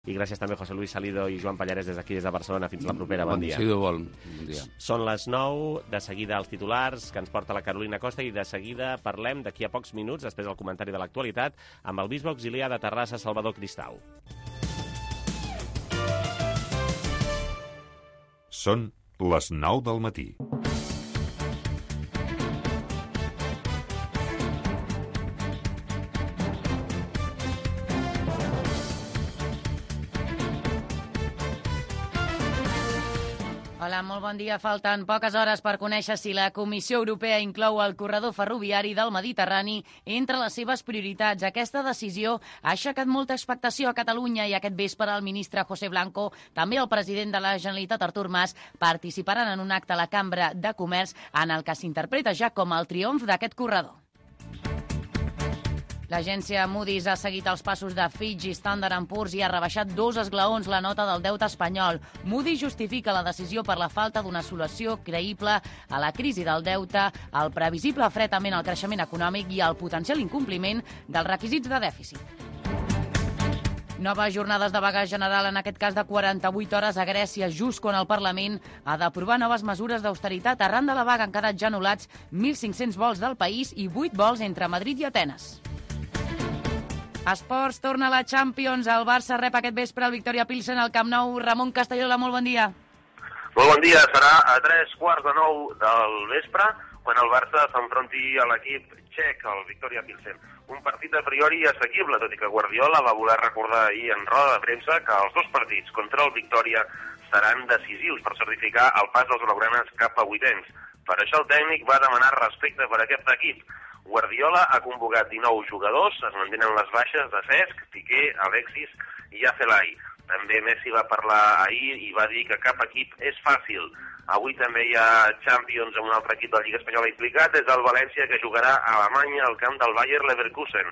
I gràcies també José Luis Salido i Joan Pallares des d'aquí, des de Barcelona. Fins la propera. Bon dia. Bon dia. Són les 9, de seguida els titulars que ens porta la Carolina Costa i de seguida parlem d'aquí a pocs minuts, després del comentari de l'actualitat, amb el bisbe auxiliar de Terrassa, Salvador Cristau. Són les 9 del matí. Hola, molt bon dia. Falten poques hores per conèixer si la Comissió Europea inclou el corredor ferroviari del Mediterrani entre les seves prioritats. Aquesta decisió ha aixecat molta expectació a Catalunya i aquest vespre el ministre José Blanco, també el president de la Generalitat Artur Mas, participaran en un acte a la Cambra de Comerç en el que s'interpreta ja com el triomf d'aquest corredor. L'agència Moody's ha seguit els passos de Fitch i Standard & Poor's i ha rebaixat 2 esglaons la nota del deute espanyol. Moody's justifica la decisió per la falta d'una solució creïble a la crisi del deute, el previsible fretament al creixement econòmic i el potencial incompliment dels requisits de dèficit. Noves jornades de vaga general, en aquest cas de 48 hores a Grècia, just quan el Parlament ha d'aprovar noves mesures d'austeritat. Arran de la vaga han quedat ja anul·lats 1.500 vols del país i 8 vols entre Madrid i Atenes. Esports, torna a la Champions. El Barça rep aquest vespre el Victoria Pilsen al Camp Nou. Ramon Castellola, molt bon dia. Molt bon dia. Serà a 3:15 del vespre quan el Barça s'enfronti a l'equip txec, el Victoria Pilsen. Un partit a priori assequible, tot i que Guardiola va voler recordar ahir en roda de premsa que els dos partits contra el Victoria seran decisius per certificar el pas dels blaugranes cap a vuitens. Per això el tècnic va demanar respecte per aquest equip. Guardiola ha convocat 19 jugadors, es mantenen les baixes de Cesc, Piqué, Alexis i Azelai. També Messi va parlar ahir i va dir que cap equip és fàcil. Avui també hi ha Champions amb un altre equip de la Lliga Espanyola implicat, és el València, que jugarà a Alemanya al camp del Bayer Leverkusen.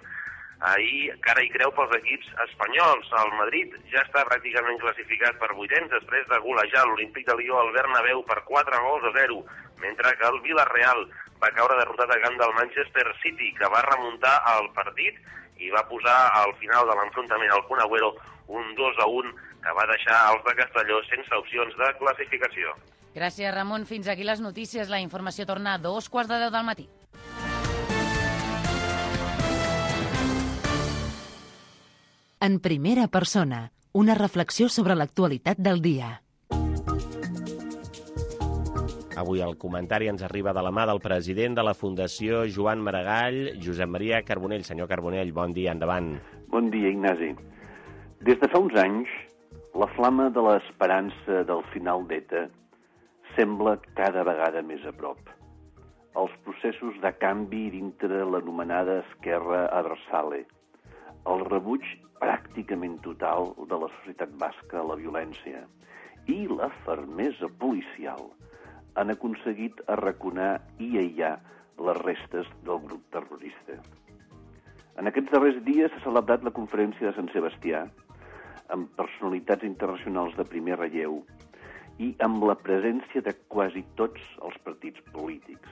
Ahir cara i creu pels equips espanyols. El Madrid ja està pràcticament classificat per vuitens després de golejar l'Olímpic de Lió al Bernabéu per 4-0, mentre que el Villarreal va caure derrotat a camp del Manchester City, que va remuntar el partit i va posar al final de l'enfrontament al Kun Agüero un 2-1 que va deixar els de Castelló sense opcions de classificació. Gràcies, Ramon. Fins aquí les notícies. La informació torna a 2:10 del matí. En primera persona, una reflexió sobre l'actualitat del dia. Avui el comentari ens arriba de la mà del president de la Fundació Joan Maragall, Josep Maria Carbonell. Senyor Carbonell, bon dia, endavant. Bon dia, Ignasi. Des de fa uns anys, la flama de l'esperança del final d'ETA sembla cada vegada més a prop. Els processos de canvi dintre l'anomenada esquerra abertzale, el rebuig pràcticament total de la societat basca a la violència i la fermesa policial han aconseguit arraconar i aïllar les restes del grup terrorista. En aquests darrers dies s'ha celebrat la conferència de Sant Sebastià amb personalitats internacionals de primer relleu i amb la presència de quasi tots els partits polítics.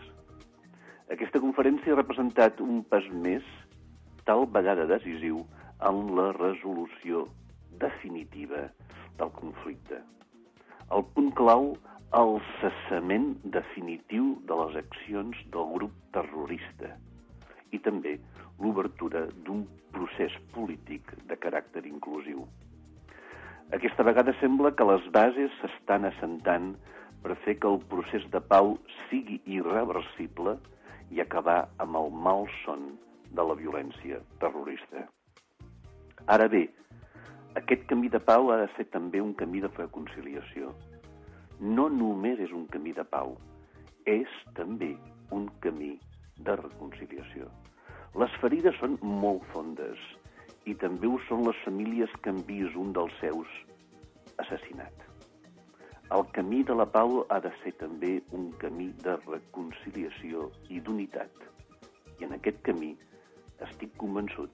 Aquesta conferència ha representat un pas més, tal vegada decisiu, en la resolució definitiva del conflicte. El punt clau, el cessament definitiu de les accions del grup terrorista i també l'obertura d'un procés polític de caràcter inclusiu. Aquesta vegada sembla que les bases s'estan assentant per fer que el procés de pau sigui irreversible i acabar amb el malson de la violència terrorista. Ara bé, aquest camí de pau ha de ser també un camí de reconciliació. No només és un camí de pau, és també un camí de reconciliació. Les ferides són molt fondes i també ho són les famílies que han vist un dels seus assassinat. El camí de la pau ha de ser també un camí de reconciliació i d'unitat. I en aquest camí, estic convençut,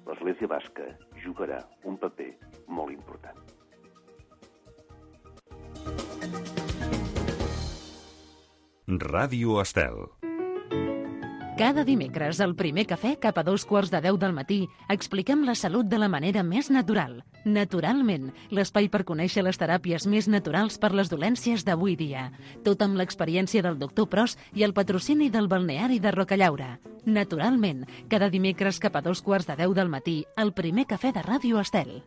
l'Església Basca jugarà un paper molt important. Ràdio Estel. Cada dimecres, al primer cafè, cap a 2:15 del matí, expliquem la salut de la manera més natural. Naturalment, l'espai per conèixer les teràpies més naturals per les dolències d'avui dia. Tot amb l'experiència del doctor Pros i el patrocini del balneari de Rocallaura. Naturalment, cada dimecres cap a 2:15 del matí, el primer cafè de Ràdio Estel.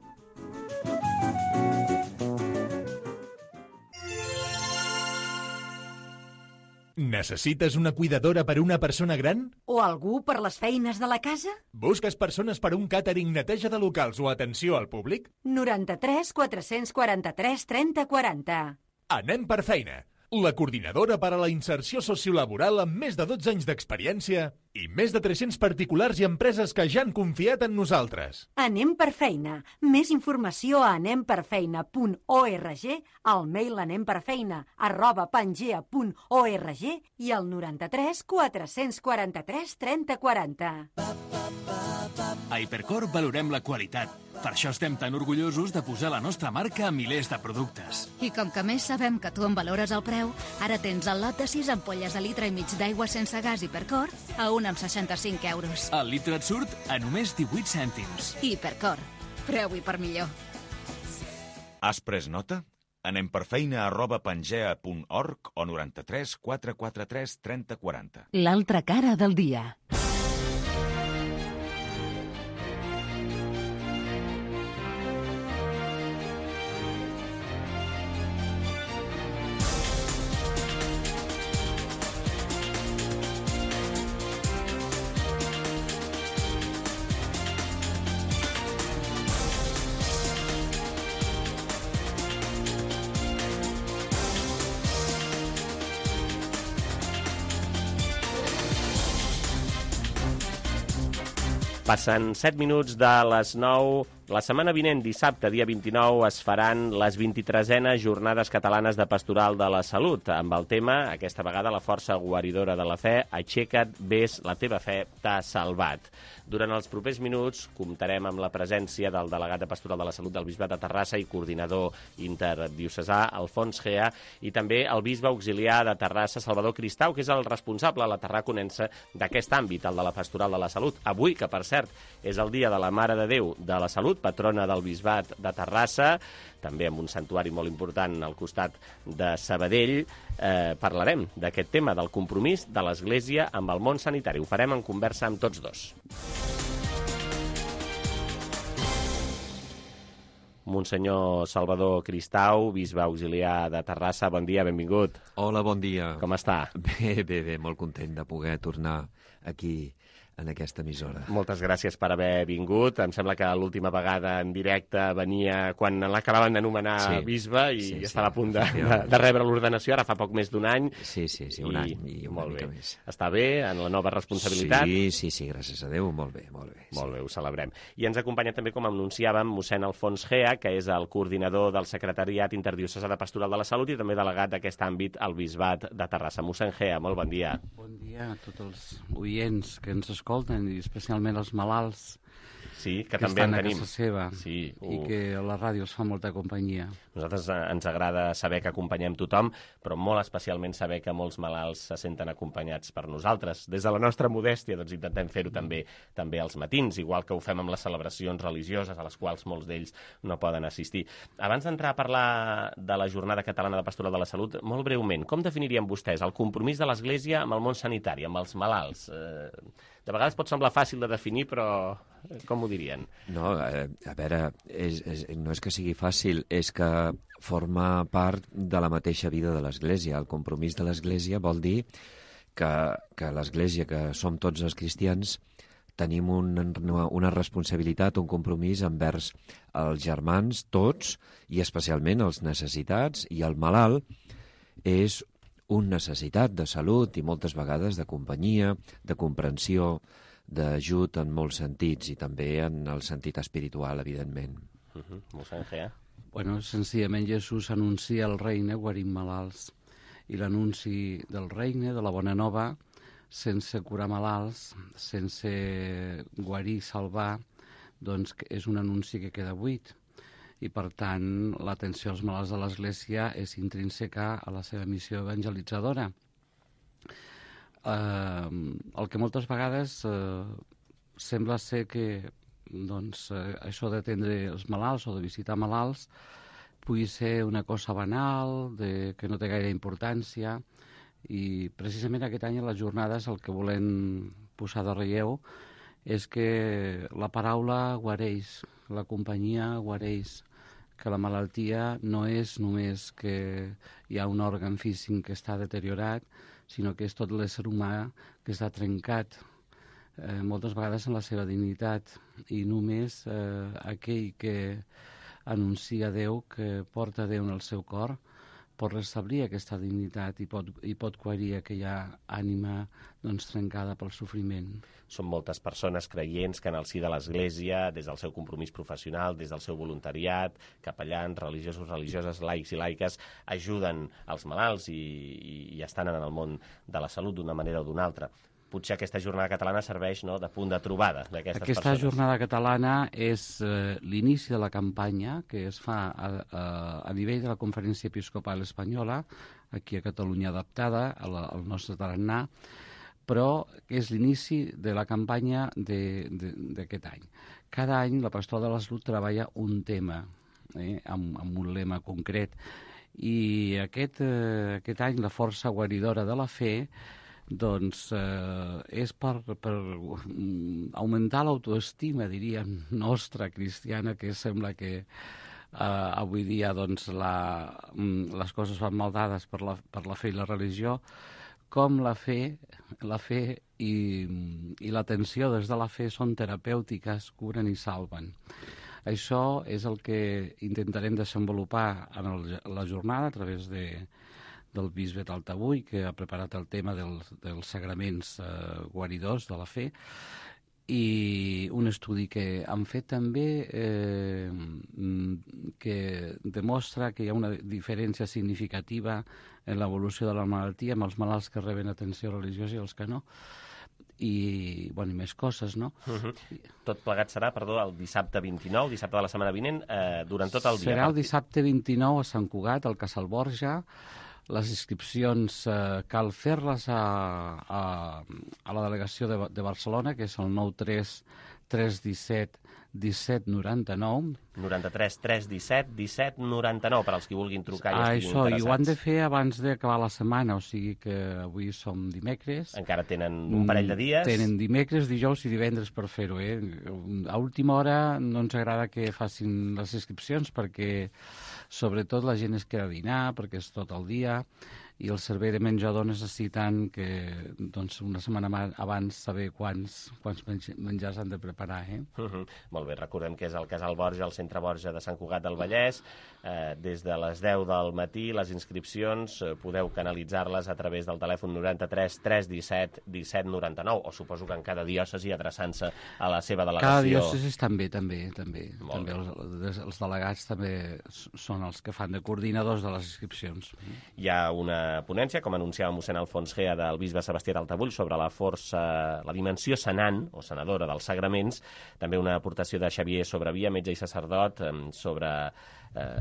Necessites una cuidadora per a una persona gran? O algú per les feines de la casa? Busques persones per a un càtering, neteja de locals o atenció al públic? 93 443 30 40. Anem per feina. La coordinadora per a la inserció sociolaboral amb més de 12 anys d'experiència i més de 300 particulars i empreses que ja han confiat en nosaltres. Anem per feina. Més informació a anemperfeina.org, al mail anemperfeina@pangea.org i al 93 443 30 40. A Hipercor valorem la qualitat. Per això estem tan orgullosos de posar la nostra marca a milers de productes. I com que més sabem que tu en valores el preu, ara tens el lot de 6 ampolles de litre i mig d'aigua sense gas Hipercor a 1,65 €. El litre et surt a només 18 cèntims. Hipercor. Preu i per millor. Has pres nota? Anem per feina@pangea.org o 93 443 30 40. L'altra cara del dia. Passen 7 minuts de les 9. La setmana vinent, dissabte, dia 29, es faran les 23enes Jornades Catalanes de Pastoral de la Salut, amb el tema, aquesta vegada, la força guaridora de la fe, aixeca't, ves, la teva fe t'ha salvat. Durant els propers minuts comptarem amb la presència del delegat de Pastoral de la Salut del Bisbat de Terrassa i coordinador interdiocesà, Alfons Gea, i també el bisbe auxiliar de Terrassa, Salvador Cristau, que és el responsable, la tarraconense, d'aquest àmbit, el de la Pastoral de la Salut. Avui, que per cert, és el dia de la Mare de Déu de la Salut, patrona del Bisbat de Terrassa, també amb un santuari molt important al costat de Sabadell, parlarem d'aquest tema, del compromís de l'Església amb el món sanitari. Ho farem en conversa amb tots dos. Monsenyor Salvador Cristau, bisbe auxiliar de Terrassa, bon dia, benvingut. Hola, bon dia. Com està? Bé, molt content de poder tornar aquí en aquesta emissora. Moltes gràcies per haver vingut. Em sembla que l'última vegada en directe venia quan l'acabaven d'anomenar bisbe i estava a punt de rebre l'ordenació, ara fa poc més d'un any. Sí, un any i una mica més. Està bé en la nova responsabilitat? Sí, gràcies a Déu, molt bé. Molt bé, ho celebrem. I ens acompanya també, com anunciàvem, mossèn Alfons Gea, que és el coordinador del Secretariat Interdiocesà de Pastoral de la Salut i també delegat d'aquest àmbit al Bisbat de Terrassa. Mossèn Gea, molt bon dia. Bon dia a tots els oients que ens escolten i especialment els malalts que també estan en a tenim. Casa seva i que a la ràdio els fa molta companyia. Nosaltres ens agrada saber que acompanyem tothom, però molt especialment saber que molts malalts se senten acompanyats per nosaltres. Des de la nostra modèstia doncs, intentem fer-ho també als matins, igual que ho fem amb les celebracions religioses a les quals molts d'ells no poden assistir. Abans d'entrar a parlar de la Jornada Catalana de Pastoral de la Salut, molt breument, com definirien vostès el compromís de l'Església amb el món sanitari, amb els malalts? De vegades pot semblar fàcil de definir, però com ho dirien? No, a veure, no és que sigui fàcil, és que forma part de la mateixa vida de l'Església. El compromís de l'Església vol dir que l'Església, que som tots els cristians, tenim una responsabilitat, un compromís envers els germans, tots, i especialment els necessitats, i el malalt és una necessitat de salut i moltes vegades de companyia, de comprensió, d'ajut en molts sentits i també en el sentit espiritual, evidentment. Mossèn Gea? Bueno, senzillament Jesús anuncia el regne guarint malalts i l'anunci del regne, de la bona nova, sense curar malalts, sense guarir, salvar, doncs és un anunci que queda buit. I, per tant, l'atenció als malalts de l'Església és intrínseca a la seva missió evangelitzadora. El que moltes vegades sembla ser que això d'atendre els malalts o de visitar malalts pugui ser una cosa banal, que no té gaire importància, i precisament aquest any a les jornades el que volem posar de relleu és que la paraula guareix, la companyia guareix, que la malaltia no és només que hi ha un òrgan físic que està deteriorat, sinó que és tot l'ésser humà que està trencat, moltes vegades en la seva dignitat, i només aquell que anuncia Déu, que porta Déu en el seu cor, pot restablir aquesta dignitat i pot guarir aquella ànima trencada pel sofriment. Són moltes persones creients que en el si de l'Església, des del seu compromís professional, des del seu voluntariat, capellans, religiosos, religioses, laics i laiques, ajuden els malalts i estan en el món de la salut d'una manera o d'una altra. Potser aquesta jornada catalana serveix de punt de trobada d'aquestes persones. Aquesta jornada catalana és l'inici de la campanya que es fa a nivell de la Conferència Episcopal Espanyola, aquí a Catalunya adaptada, al nostre tarannà, però és l'inici de la campanya d'aquest any. Cada any la Pastoral de la Salut treballa un tema, amb un lema concret, i aquest any la força guaridora de la fe és per augmentar l'autoestima, diríem, nostra, cristiana, que sembla que avui dia les coses van mal dades per la fe i la religió, com la fe i l'atenció des de la fe són terapèutiques, curen i salven. Això és el que intentarem desenvolupar en la jornada a través del bisbe Taltabull, que ha preparat el tema dels sagraments guaridors de la fe, i un estudi que han fet també que demostra que hi ha una diferència significativa en l'evolució de la malaltia amb els malalts que reben atenció religiosa i els que no, i més coses, no? Tot plegat serà, el dissabte 29, dissabte de la setmana vinent, durant tot el dia. Serà el dissabte 29 a Sant Cugat, al Casal Borja. Les inscripcions cal fer-les a la delegació de Barcelona, que és el 93 317 1799. 93 317 1799, per als qui vulguin trucar i estiguin interessats. I ho han de fer abans d'acabar la setmana, o sigui que avui som dimecres. Encara tenen un parell de dies. Tenen dimecres, dijous i divendres per fer-ho. A última hora no ens agrada que facin les inscripcions perquè sobretot la gent es queda a dinar, perquè és tot el dia, i el servei de menjador necessiten que una setmana abans saber quants menjars han de preparar. Molt bé, recordem que és el Casal Borja, al centre Borja de Sant Cugat del Vallès. Des de les 10 del matí, les inscripcions podeu canalitzar-les a través del telèfon 93 317 1799, o suposo que en cada diòcesi adreçant-se a la seva delegació. Cada diòcesi també. Els delegats també són els que fan de coordinadors de les inscripcions. Hi ha una ponència, com anunciava mossèn Alfons Gea, del bisbe Sebastià Taltabull, sobre la dimensió sanant o sanadora dels sagraments, també una aportació de Xavier Sobrevia, metge i sacerdot, sobre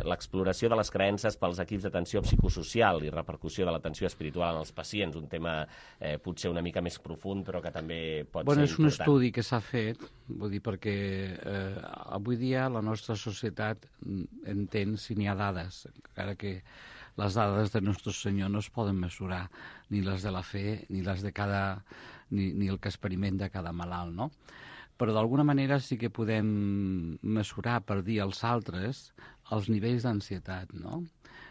l'exploració de les creences pels equips d'atenció psicosocial i repercussió de l'atenció espiritual en els pacients, un tema potser una mica més profund, però que també pot ser important. És un estudi que s'ha fet, perquè avui dia la nostra societat entén si n'hi ha dades, encara que les dades de Nostre Senyor no es poden mesurar, ni les de la fe, ni les de ni el que experimenta cada malalt, no? Però d'alguna manera sí que podem mesurar per dir als altres els nivells d'ansietat, no?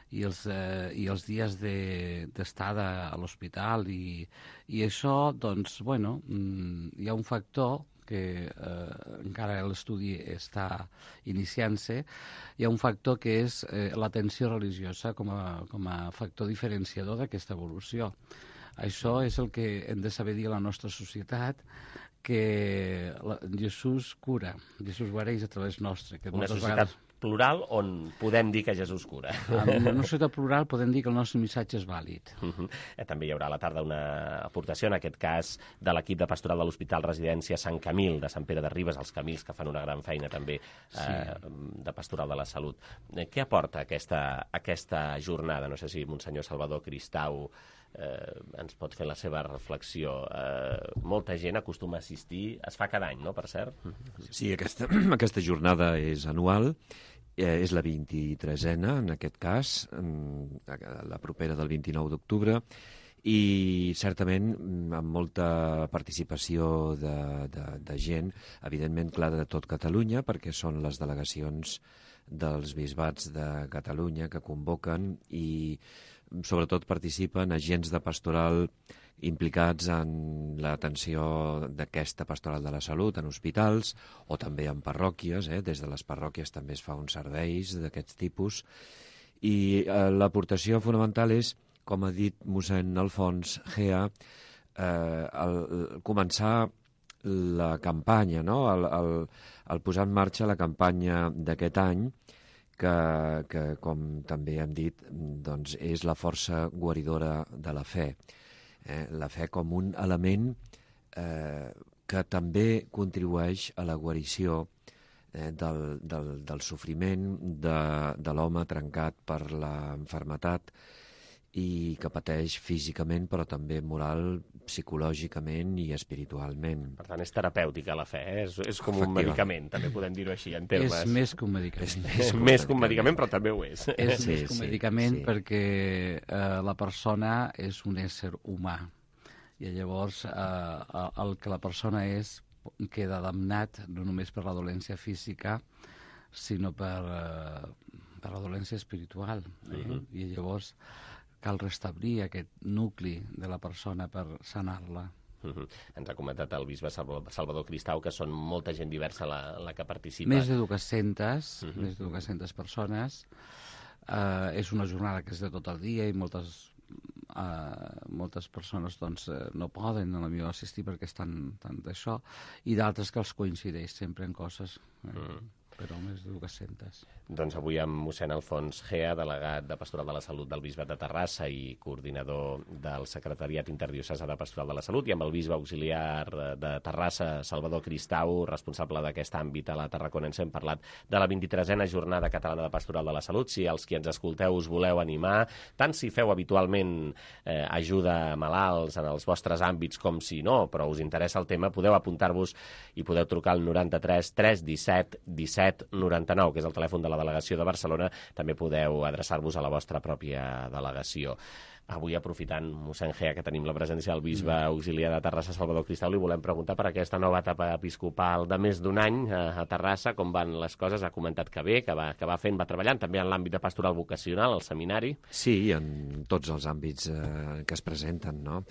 I els dies d'estada a l'hospital, i això, hi ha un factor que encara l'estudi està iniciant-se, hi ha un factor que és l'atenció religiosa com a factor diferenciador d'aquesta evolució. Això és el que hem de saber dir a la nostra societat, que Jesús cura, Jesús guareix a través nostre. Una societat plural on podem dir que Jesús cura. En una societat plural podem dir que el nostre missatge és vàlid. També hi haurà a la tarda una aportació, en aquest cas, de l'equip de pastoral de l'Hospital Residència Sant Camil, de Sant Pere de Ribes, els Camils, que fan una gran feina també de pastoral de la salut. Què aporta aquesta jornada? No sé si Monsenyor Salvador Cristau ens pot fer la seva reflexió. Molta gent acostuma a assistir, es fa cada any, no?, per cert? Sí, aquesta jornada és anual, és la 23a, en aquest cas, la propera del 29 d'octubre, i certament amb molta participació de gent, evidentment, clar, de tot Catalunya, perquè són les delegacions dels bisbats de Catalunya que convoquen i sobretot participen agents de pastoral implicats en l'atenció d'aquesta pastoral de la salut en hospitals o també en parròquies. Des de les parròquies també es fa uns serveis d'aquests tipus. I l'aportació fonamental és, com ha dit mossèn Alfons Gea, començar la campanya, no? el posar en marxa la campanya d'aquest any, que com també hem dit, doncs és la força guaridora de la fe. La fe com un element que també contribueix a la guarició del sofriment de l'home trencat per la malaltia i que pateix físicament, però també moral, psicològicament i espiritualment. Per tant, és terapèutica la fe, és com un medicament, també podem dir-ho així, en termes... És més que un medicament. És més que un medicament, però també ho és. És més que un medicament perquè la persona és un ésser humà i llavors el que la persona és queda damnat no només per la dolència física, sinó per la dolència espiritual. I llavors cal restablir aquest nucli de la persona per sanar-la. Ens ha comentat el bisbe Salvador Cristau que són molta gent diversa la que participa. Més de 200 persones. És una jornada que és de tot el dia i moltes persones doncs, no poden potser assistir perquè estan tant d'això, i d'altres que els coincideix sempre en coses. Però més de 200. Doncs avui amb mossèn Alfons Gea, delegat de Pastoral de la Salut del Bisbat de Terrassa i coordinador del Secretariat Interdiocesà de Pastoral de la Salut, i amb el bisbe auxiliar de Terrassa, Salvador Cristau, responsable d'aquest àmbit a la Tarraconense, hem parlat de la 23a Jornada Catalana de Pastoral de la Salut. Si els qui ens escolteu us voleu animar, tant si feu habitualment ajuda a malalts en els vostres àmbits com si no, però us interessa el tema, podeu apuntar-vos i podeu trucar al 93 317 17 99, que és el telèfon de la delegació de Barcelona. També podeu adreçar-vos a la vostra pròpia delegació. Avui, aprofitant, mossèn Gea, que tenim la presència del bisbe auxiliar de Terrassa, Salvador Cristau, li volem preguntar per aquesta nova etapa episcopal de més d'un any a Terrassa, com van les coses. Ha comentat que bé, que va fent, va treballant, també en l'àmbit de pastoral vocacional, al seminari. Sí, en tots els àmbits que es presenten, no?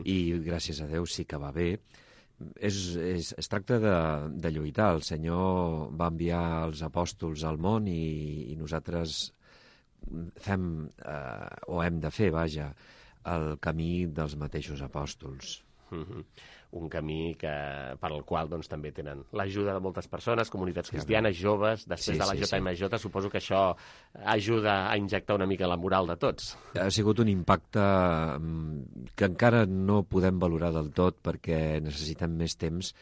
I gràcies a Déu sí que va bé. Es tracta de lluitar. El Senyor va enviar els apòstols al món i nosaltres fem, o hem de fer, vaja, el camí dels mateixos apòstols. Un camí per al qual doncs, també tenen l'ajuda de moltes persones, comunitats cristianes, joves. Després de la JMJ, suposo que això ajuda a injectar una mica la moral de tots. Ha sigut un impacte que encara no podem valorar del tot perquè necessitem més temps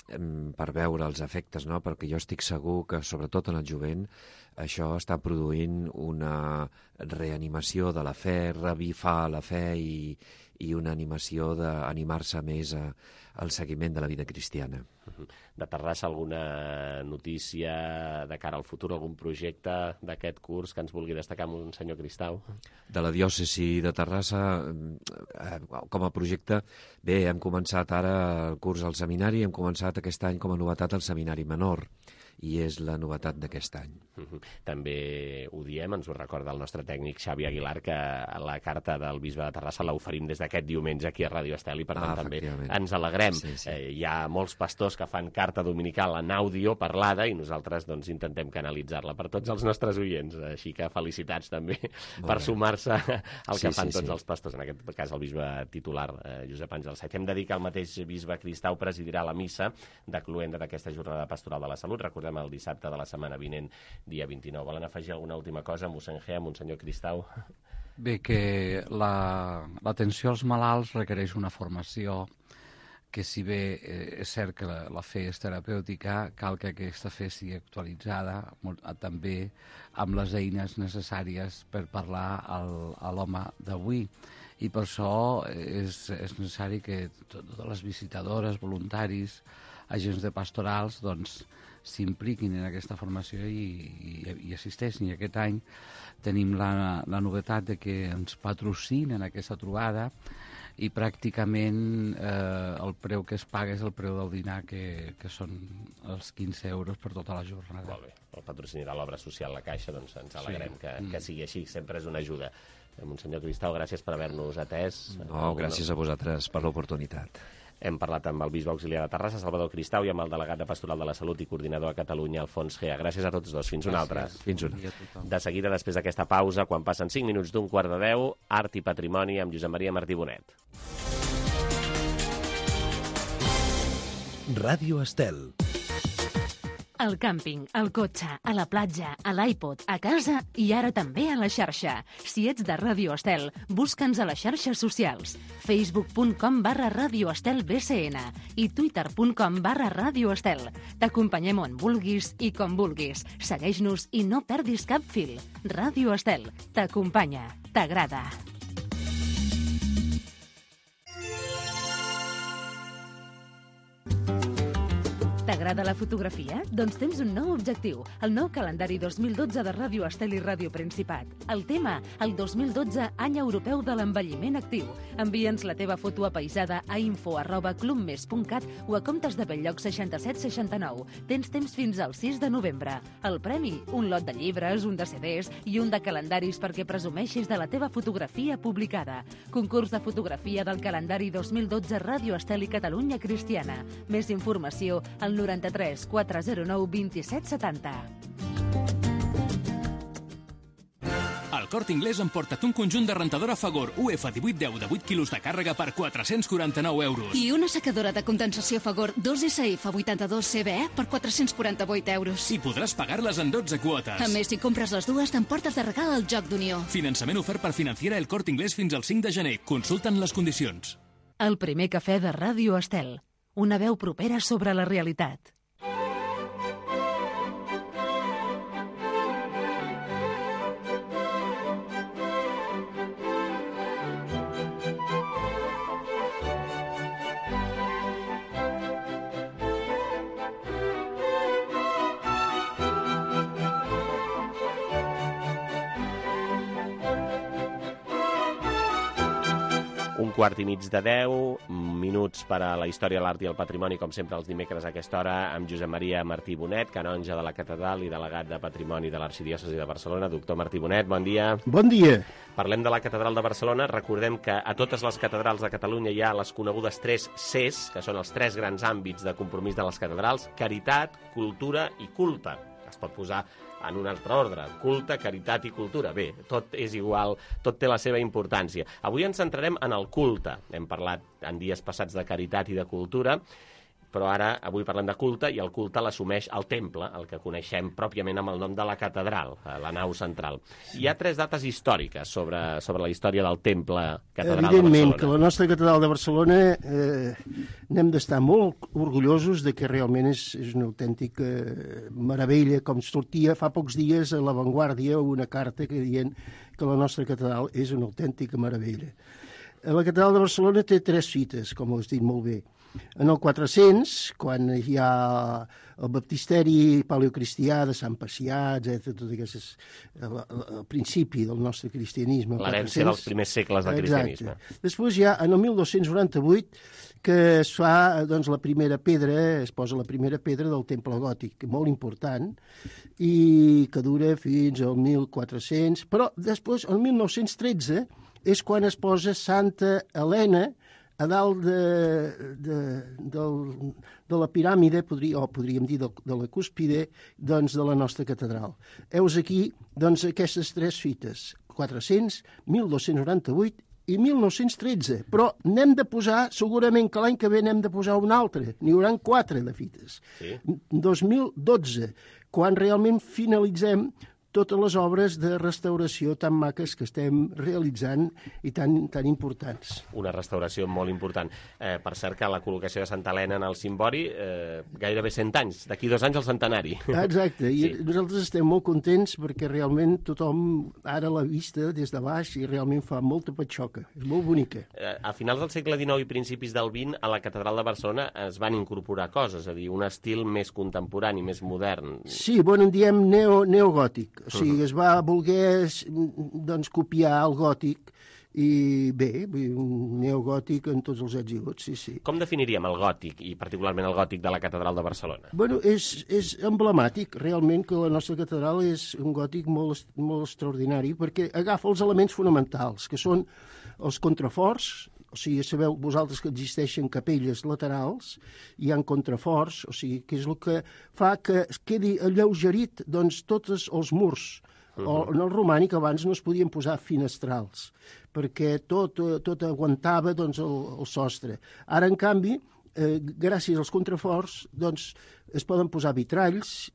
per veure els efectes, no? Perquè jo estic segur que, sobretot en el jovent, això està produint una reanimació de la fe, revifar la fe i una animació d'animar-se més al seguiment de la vida cristiana. De Terrassa, alguna notícia de cara al futur, algun projecte d'aquest curs que ens vulgui destacar, monsenyor Cristau? De la diòcesi de Terrassa, com a projecte, bé, hem començat ara el curs al seminari, hem començat aquest any com a novetat el seminari menor, i és la novetat d'aquest any. També ho diem, ens ho recorda el nostre tècnic Xavi Aguilar, que la carta del bisbe de Terrassa l'oferim des d'aquest diumenge aquí a Ràdio Estel, i per tant també ens alegrem. Hi ha molts pastors que fan carta dominical en àudio parlada i nosaltres doncs intentem canalitzar-la per tots els nostres oients, així que felicitats també per sumar-se al que fan tots els pastors, en aquest cas el bisbe titular Josep Àngel Saez. Hem de dir que el mateix bisbe Cristau presidirà la missa de cloenda d'aquesta jornada pastoral de la salut. Recordem el dissabte de la setmana vinent, dia 29. Volen afegir alguna última cosa, mossèn Gea, monsenyor Cristau? Bé, que l'atenció als malalts requereix una formació que si bé és cert que la fe és terapèutica, cal que aquesta fe sigui actualitzada també amb les eines necessàries per parlar a l'home d'avui. I per això és necessari que totes les visitadores, voluntaris, agents de pastorals, doncs, s'impliquin en aquesta formació i assisteixin. I aquest any tenim la novetat de que ens patrocinen aquesta trobada i pràcticament el preu que es paga és el preu del dinar, que són els 15 euros per tota la jornada. Molt bé. El patrocini de l'obra social La Caixa, doncs ens alegrem que sigui així, sempre és una ajuda. Monsenyor Cristau, gràcies per haver-nos atès. No, gràcies a vosaltres per l'oportunitat. Hem parlat amb el bisbe auxiliar de Terrassa, Salvador Cristau, i amb el delegat de Pastoral de la Salut i coordinador a Catalunya, Alfons Gea. Gràcies a tots dos. Fins una altra. Fins una. De seguida, després d'aquesta pausa, quan passen 5 minuts d'un quart de 10, Art i Patrimoni amb Josep Maria Martí Bonet. Ràdio Estel. Al càmping, al cotxe, a la platja, a l'iPod, a casa i ara també a la xarxa. Si ets de Ràdio Estel, busca'ns a les xarxes socials. facebook.com/Ràdio Estel BCN i twitter.com/Ràdio Estel. T'acompanyem on vulguis i com vulguis. Segueix-nos i no perdis cap fil. Ràdio Estel t'acompanya, t'agrada. T'agrada la fotografia? Doncs tens un nou objectiu, el nou calendari 2012 de Ràdio Estel i Ràdio Principat. El tema, el 2012, any europeu de l'envelliment actiu. Envia'ns la teva foto apaisada a info@clubmes.cat o a comptes de Belllloc 6769. Tens temps fins al 6 de novembre. El premi, un lot de llibres, un de CDs i un de calendaris perquè presumeixis de la teva fotografia publicada. Concurs de fotografia del calendari 2012 Ràdio Estel i Catalunya Cristiana. Més informació al 93 409 27 70. Al Corte Inglés emporta't un conjunt de rentadora Fagor UF 1810 de 8 quilos de càrrega per 449 euros. I una secadora de condensació Fagor 2SF 82 CBE per 448 euros. I podràs pagar-les en 12 quotes. A més, si compres les dues, t'emportes de regal el Joc d'Unió. Finançament ofert per Financiera El Corte Inglés fins al 5 de gener. Consulta'n les condicions. El primer cafè de Ràdio Estel. Una veu propera sobre la realitat. Un quart i mig de 10 minuts per a la història, l'art i el patrimoni, com sempre els dimecres a aquesta hora, amb Josep Maria Martí Bonet, canonge de la catedral i delegat de patrimoni de l'Arxidiòcesi de Barcelona. Doctor Martí Bonet, bon dia. Bon dia. Parlem de la catedral de Barcelona. Recordem que a totes les catedrals de Catalunya hi ha les conegudes 3 Cs, que són els 3 grans àmbits de compromís de les catedrals: caritat, cultura i culte. Es pot posar en un altre ordre: culte, caritat i cultura. Bé, tot és igual, tot té la seva importància. Avui ens centrarem en el culte. Hem parlat en dies passats de caritat i de cultura, però ara avui parlem de culte, i el culte l'assumeix el temple, el que coneixem pròpiament amb el nom de la catedral, la nau central. Hi ha 3 dates històriques sobre la història del temple catedral de Barcelona. Evidentment que la nostra catedral de Barcelona n'hem d'estar molt orgullosos de que realment és una autèntica meravella, com sortia fa pocs dies a La Vanguardia una carta que dient que la nostra catedral és una autèntica meravella. La catedral de Barcelona té 3 fites, com ho has dit molt bé. En el 400, quan hi ha el baptisteri paleocristià de Sant Pacià, etc., tot aquestes, el principi del nostre cristianisme. L'herència dels primers segles del cristianisme. Exacte. Després hi ha, en el 1298, que es fa, doncs, la primera pedra, es posa la primera pedra del temple gòtic, molt important, i que dura fins al 1400, però després, el 1913, és quan es posa Santa Helena a dalt de la piràmide, podríem dir de la cúspide, doncs, de la nostra catedral. Heus aquí, doncs, aquestes 3 fites: 400, 1298 i 1913. Però n'hem de posar, segurament que l'any que ve n'hem de posar una altra. N'hi haurà 4 de fites. Sí. 2012, quan realment finalitzem totes les obres de restauració tan maques que estem realitzant i tan importants. Una restauració molt important. Per cert, que la col·locació de Santa Helena en el cimbori, gairebé 100 anys. D'aquí 2 anys el centenari. Exacte, i nosaltres estem molt contents perquè realment tothom ara l'ha vista des de baix i realment fa molta patxoca. És molt bonica. A finals del segle XIX i principis del XX, a la Catedral de Barcelona es van incorporar coses, és a dir, un estil més contemporani, més modern. Sí, en diem neogòtic. O sigui, es va voler copiar el gòtic i bé, un neogòtic en tots els ets i gots, sí. Com definiríem el gòtic, i particularment el gòtic de la Catedral de Barcelona? És emblemàtic, realment, que la nostra catedral és un gòtic molt extraordinari, perquè agafa els elements fonamentals, que són els contraforts. O sigui, sabeu vosaltres que existeixen capelles laterals, hi ha contraforts, o sigui, que és el que fa que es quedi alleugerit tots els murs. En el romànic abans no es podien posar finestrals, perquè tot aguantava el sostre. Ara, en canvi, gràcies als contraforts, es poden posar vitralls,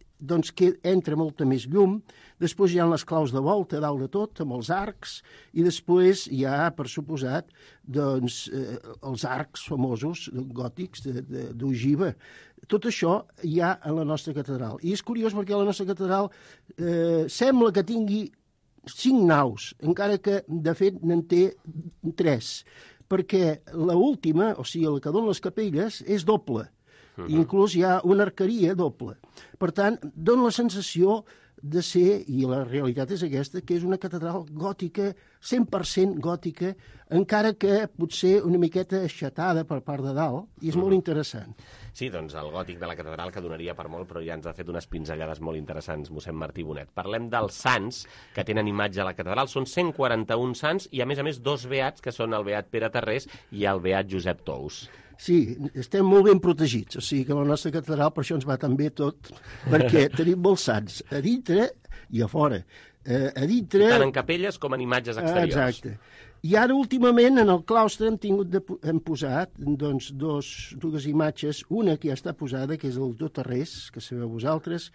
que entra molta més llum. Després hi ha les claus de volta dalt de tot, amb els arcs, i després hi ha, per suposat, els arcs famosos gòtics d'ogiva. Tot això hi ha a la nostra catedral. I és curiós perquè la nostra catedral sembla que tingui 5 naus, encara que, de fet, n'en té 3, perquè l'última, o sigui, la que dona les capelles, és doble. Inclús hi ha una arqueria doble. Per tant, dona la sensació de ser, i la realitat és aquesta, que és una catedral gòtica, 100% gòtica, encara que potser una miqueta aixatada per part de dalt, i és molt interessant. Sí, doncs el gòtic de la catedral, que donaria per molt, però ja ens ha fet unes pinzellades molt interessants, mossèn Martí Bonet. Parlem dels sants que tenen imatge a la catedral. Són 141 sants i, a més, 2 beats, que són el beat Pere Tarrés i el beat Josep Tous. Sí, estem molt ben protegits, o sigui que la nostra catedral per això ens va tan bé tot, perquè tenim molts sants, a dintre i a fora. Tant en capelles com en imatges exteriors. Exacte. I ara, últimament, en el claustre hem posat dues imatges, una que ja està posada, que és el doctor Tarrés, que sabeu vosaltres,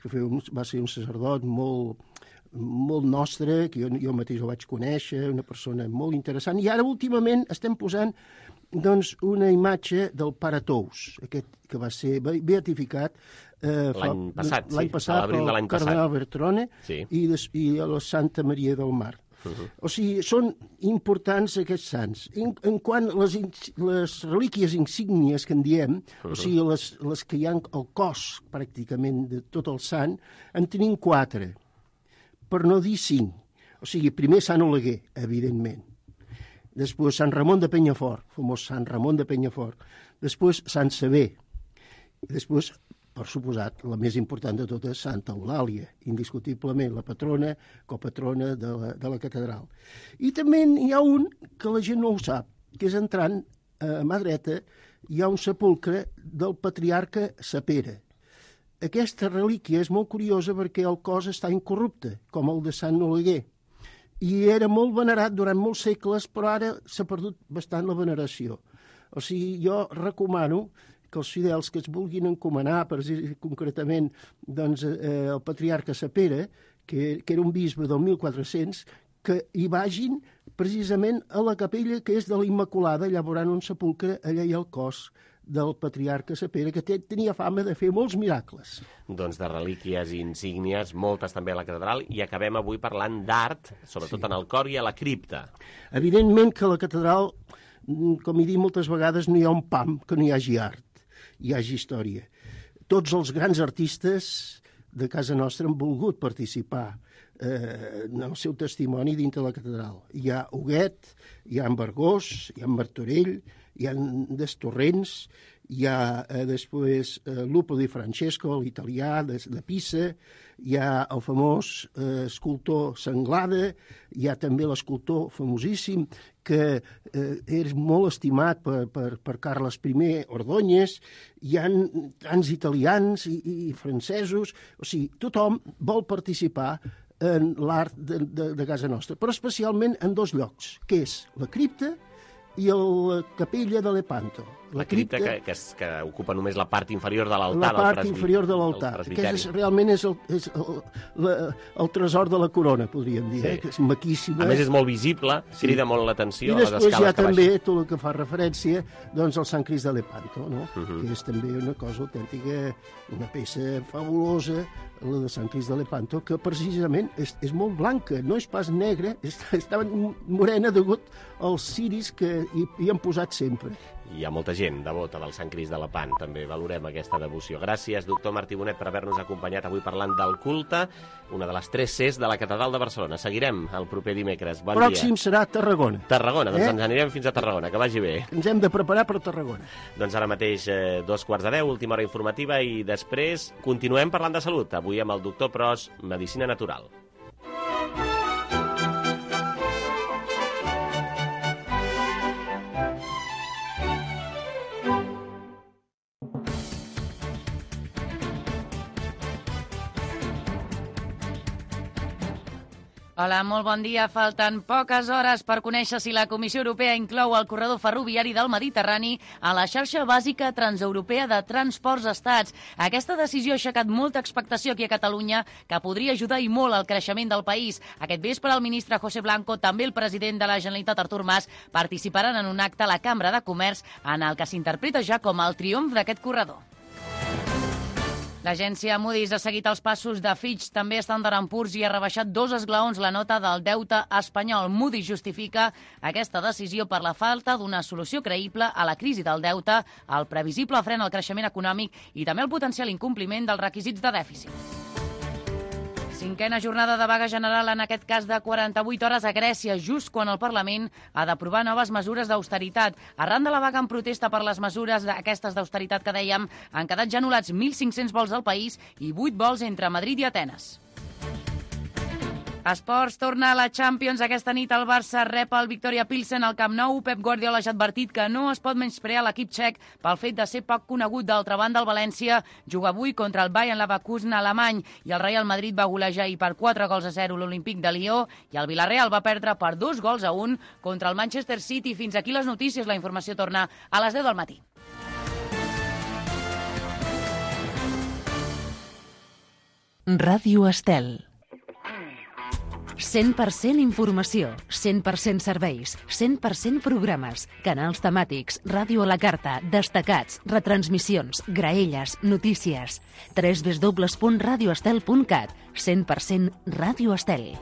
que va ser un sacerdot molt nostre, que jo mateix el vaig conèixer, una persona molt interessant, i ara, últimament, estem posant una imatge del pare Tous, aquest que va ser beatificat l'any passat, pel cardenal Bertrone i la Santa Maria del Mar. O sigui, són importants aquests sants. En quant a les relíquies insígnies que en diem, o sigui, les que hi ha al cos, pràcticament, de tot el sant, en tenim 4, per no dir 5. O sigui, primer Sant Oleguer, evidentment. Després Sant Ramon de Penyafort, famós Sant Ramon de Penyafort. Després Sant Sever. I després, per suposat, la més important de totes, Santa Eulàlia, indiscutiblement la patrona, copatrona de la catedral. I també hi ha un que la gent no ho sap, que és entrant a mà dreta, hi ha un sepulcre del patriarca Sapere. Aquesta relíquia és molt curiosa perquè el cos està incorrupte, com el de Sant Oleguer. I era molt venerat durant molts segles, però ara s'ha perdut bastant la veneració. O sigui, jo recomano que els fidels que es vulguin encomanar, concretament el patriarca Sapere, que era un bisbe del 1400, que hi vagin precisament a la capella que és de la Immaculada, allà veuran un sepulcre, allà hi ha el cos del patriarca Sapere, que tenia fama de fer molts miracles. Doncs de relíquies i insígnies, moltes també a la catedral, i acabem avui parlant d'art, sobretot en el cor i a la cripta. Evidentment que a la catedral, com he dit moltes vegades, no hi ha un pam que no hi hagi art, hi hagi història. Tots els grans artistes de casa nostra han volgut participar en el seu testimoni dintre de la catedral. Hi ha Huguet, hi ha en Vergós, hi ha en Martorell, hi ha Destorrents, hi ha després Lupo di Francesco, l'italià de Pisa, hi ha el famós escultor Sanglada, hi ha també l'escultor famosíssim que és molt estimat per Carles I Ordóñez, hi ha tants italians i francesos, o sigui, tothom vol participar en l'art de casa nostra, però especialment en 2 llocs, que és la cripta i la capella de Lepanto. La cripta que ocupa només la part inferior de l'altar. La part inferior de l'altar. Aquest realment és el tresor de la corona, podríem dir, que és maquíssima. A més, és molt visible, crida molt l'atenció. I després hi ha també tot el que fa referència doncs, al Sant Crist de Lepanto, no? Que és també una cosa autèntica, una peça fabulosa, la de Sant Crist de Lepanto, que precisament és molt blanca, no és pas negra, està morena degut als ciris que hi han posat sempre. Hi ha molta gent devota del Sant Crist de Lepant, també valorem aquesta devoció. Gràcies, doctor Martí Bonet, per haver-nos acompanyat avui parlant del culte, una de les 3 Cs de la Catedral de Barcelona. Seguirem el proper dimecres. Bon dia. Pròxim serà Tarragona. Tarragona, doncs ens anirem fins a Tarragona, que vagi bé. Ens hem de preparar per Tarragona. Doncs ara mateix 2:45, última hora informativa, i després continuem parlant de salut, avui amb el doctor Pros, Medicina Natural. Hola, molt bon dia. Falten poques hores per conèixer si la Comissió Europea inclou el corredor ferroviari del Mediterrani a la xarxa bàsica transeuropea de transports estats. Aquesta decisió ha aixecat molta expectació aquí a Catalunya, que podria ajudar i molt al creixement del país. Aquest vespre el ministre José Blanco, també el president de la Generalitat Artur Mas, participaran en un acte a la Cambra de Comerç en el que s'interpreta ja com el triomf d'aquest corredor. L'agència Moody's ha seguit els passos de Fitch, també Standard & Poor's, i ha rebaixat 2 esglaons la nota del deute espanyol. Moody's justifica aquesta decisió per la falta d'una solució creïble a la crisi del deute, el previsible fren al creixement econòmic i també el potencial incompliment dels requisits de dèficit. 5a jornada de vaga general, en aquest cas de 48 hores a Grècia, just quan el Parlament ha d'aprovar noves mesures d'austeritat. Arran de la vaga en protesta per les mesures aquestes d'austeritat que dèiem, han quedat ja anul·lats 1.500 vols al país i 8 vols entre Madrid i Atenes. Esports, torna a la Champions. Aquesta nit el Barça rep el Victoria Pilsen al Camp Nou. Pep Guardiola ja ha advertit que no es pot menysprear l'equip txec pel fet de ser poc conegut. D'altra banda, el València juga avui contra el Bayern Leverkusen alemany i el Real Madrid va golejar ahir per 4-0 l'Olímpic de Lió i el Villarreal va perdre per 2-1 contra el Manchester City. Fins aquí les notícies. La informació torna a les 10 del matí. Ràdio Estel. 100% informació, 100% serveis, 100% programes, canals temàtics, ràdio a la carta, destacats, retransmissions, graelles, notícies. www.radioestel.cat. 100% Ràdio Estel.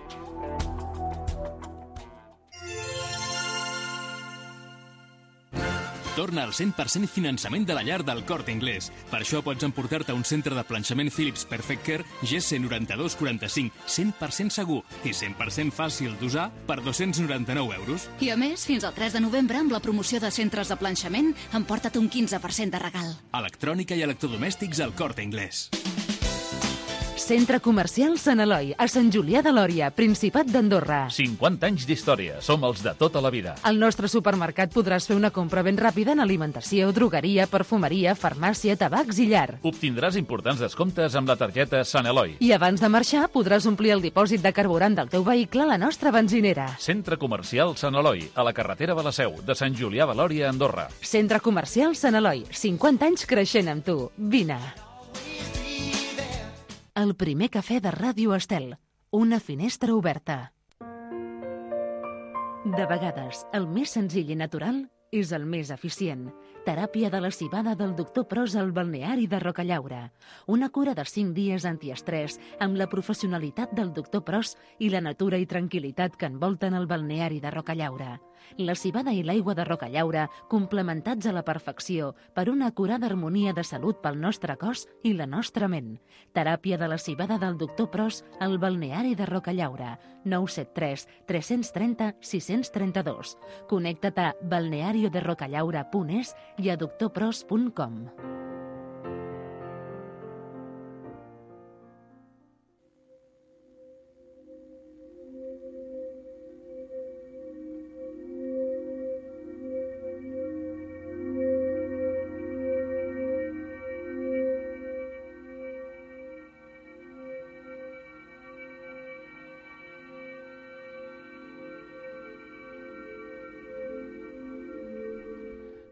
Torna al 100% finançament de la llar del Corte Inglés. Per això pots emportar-te un centre de planxament Philips Perfect Care GC 9245, 100% segur i 100% fàcil d'usar per 299 euros. I a més, fins al 3 de novembre, amb la promoció de centres de planxament, emporta't un 15% de regal. Electrònica i electrodomèstics al Corte Inglés. Centre Comercial Sant Eloi, a Sant Julià de Lòria, Principat d'Andorra. 50 anys d'història, som els de tota la vida. Al nostre supermercat podràs fer una compra ben ràpida en alimentació, drogueria, perfumeria, farmàcia, tabacs i llar. Obtindràs importants descomptes amb la targeta Sant Eloi. I abans de marxar podràs omplir el dipòsit de carburant del teu vehicle a la nostra benzinera. Centre Comercial Sant Eloi, a la carretera de la Seu, de Sant Julià de Lòria, Andorra. Centre Comercial Sant Eloi, 50 anys creixent amb tu. Vine. El primer cafè de Ràdio Estel. Una finestra oberta. De vegades, el més senzill i natural és el més eficient. Teràpia de la civada del doctor Pros al balneari de Rocallaura. Una cura de 5 dies antiestrès amb la professionalitat del doctor Pros i la natura i tranquil·litat que envolten el balneari de Rocallaura. La civada i l'aigua de Rocallaura complementats a la perfecció per una acurada harmonia de salut pel nostre cos i la nostra ment. Teràpia de la civada del doctor Pros al balneari de Rocallaura. 973 330 632. Connecta't a balnearioderocallaura.es i a doctorpros.com.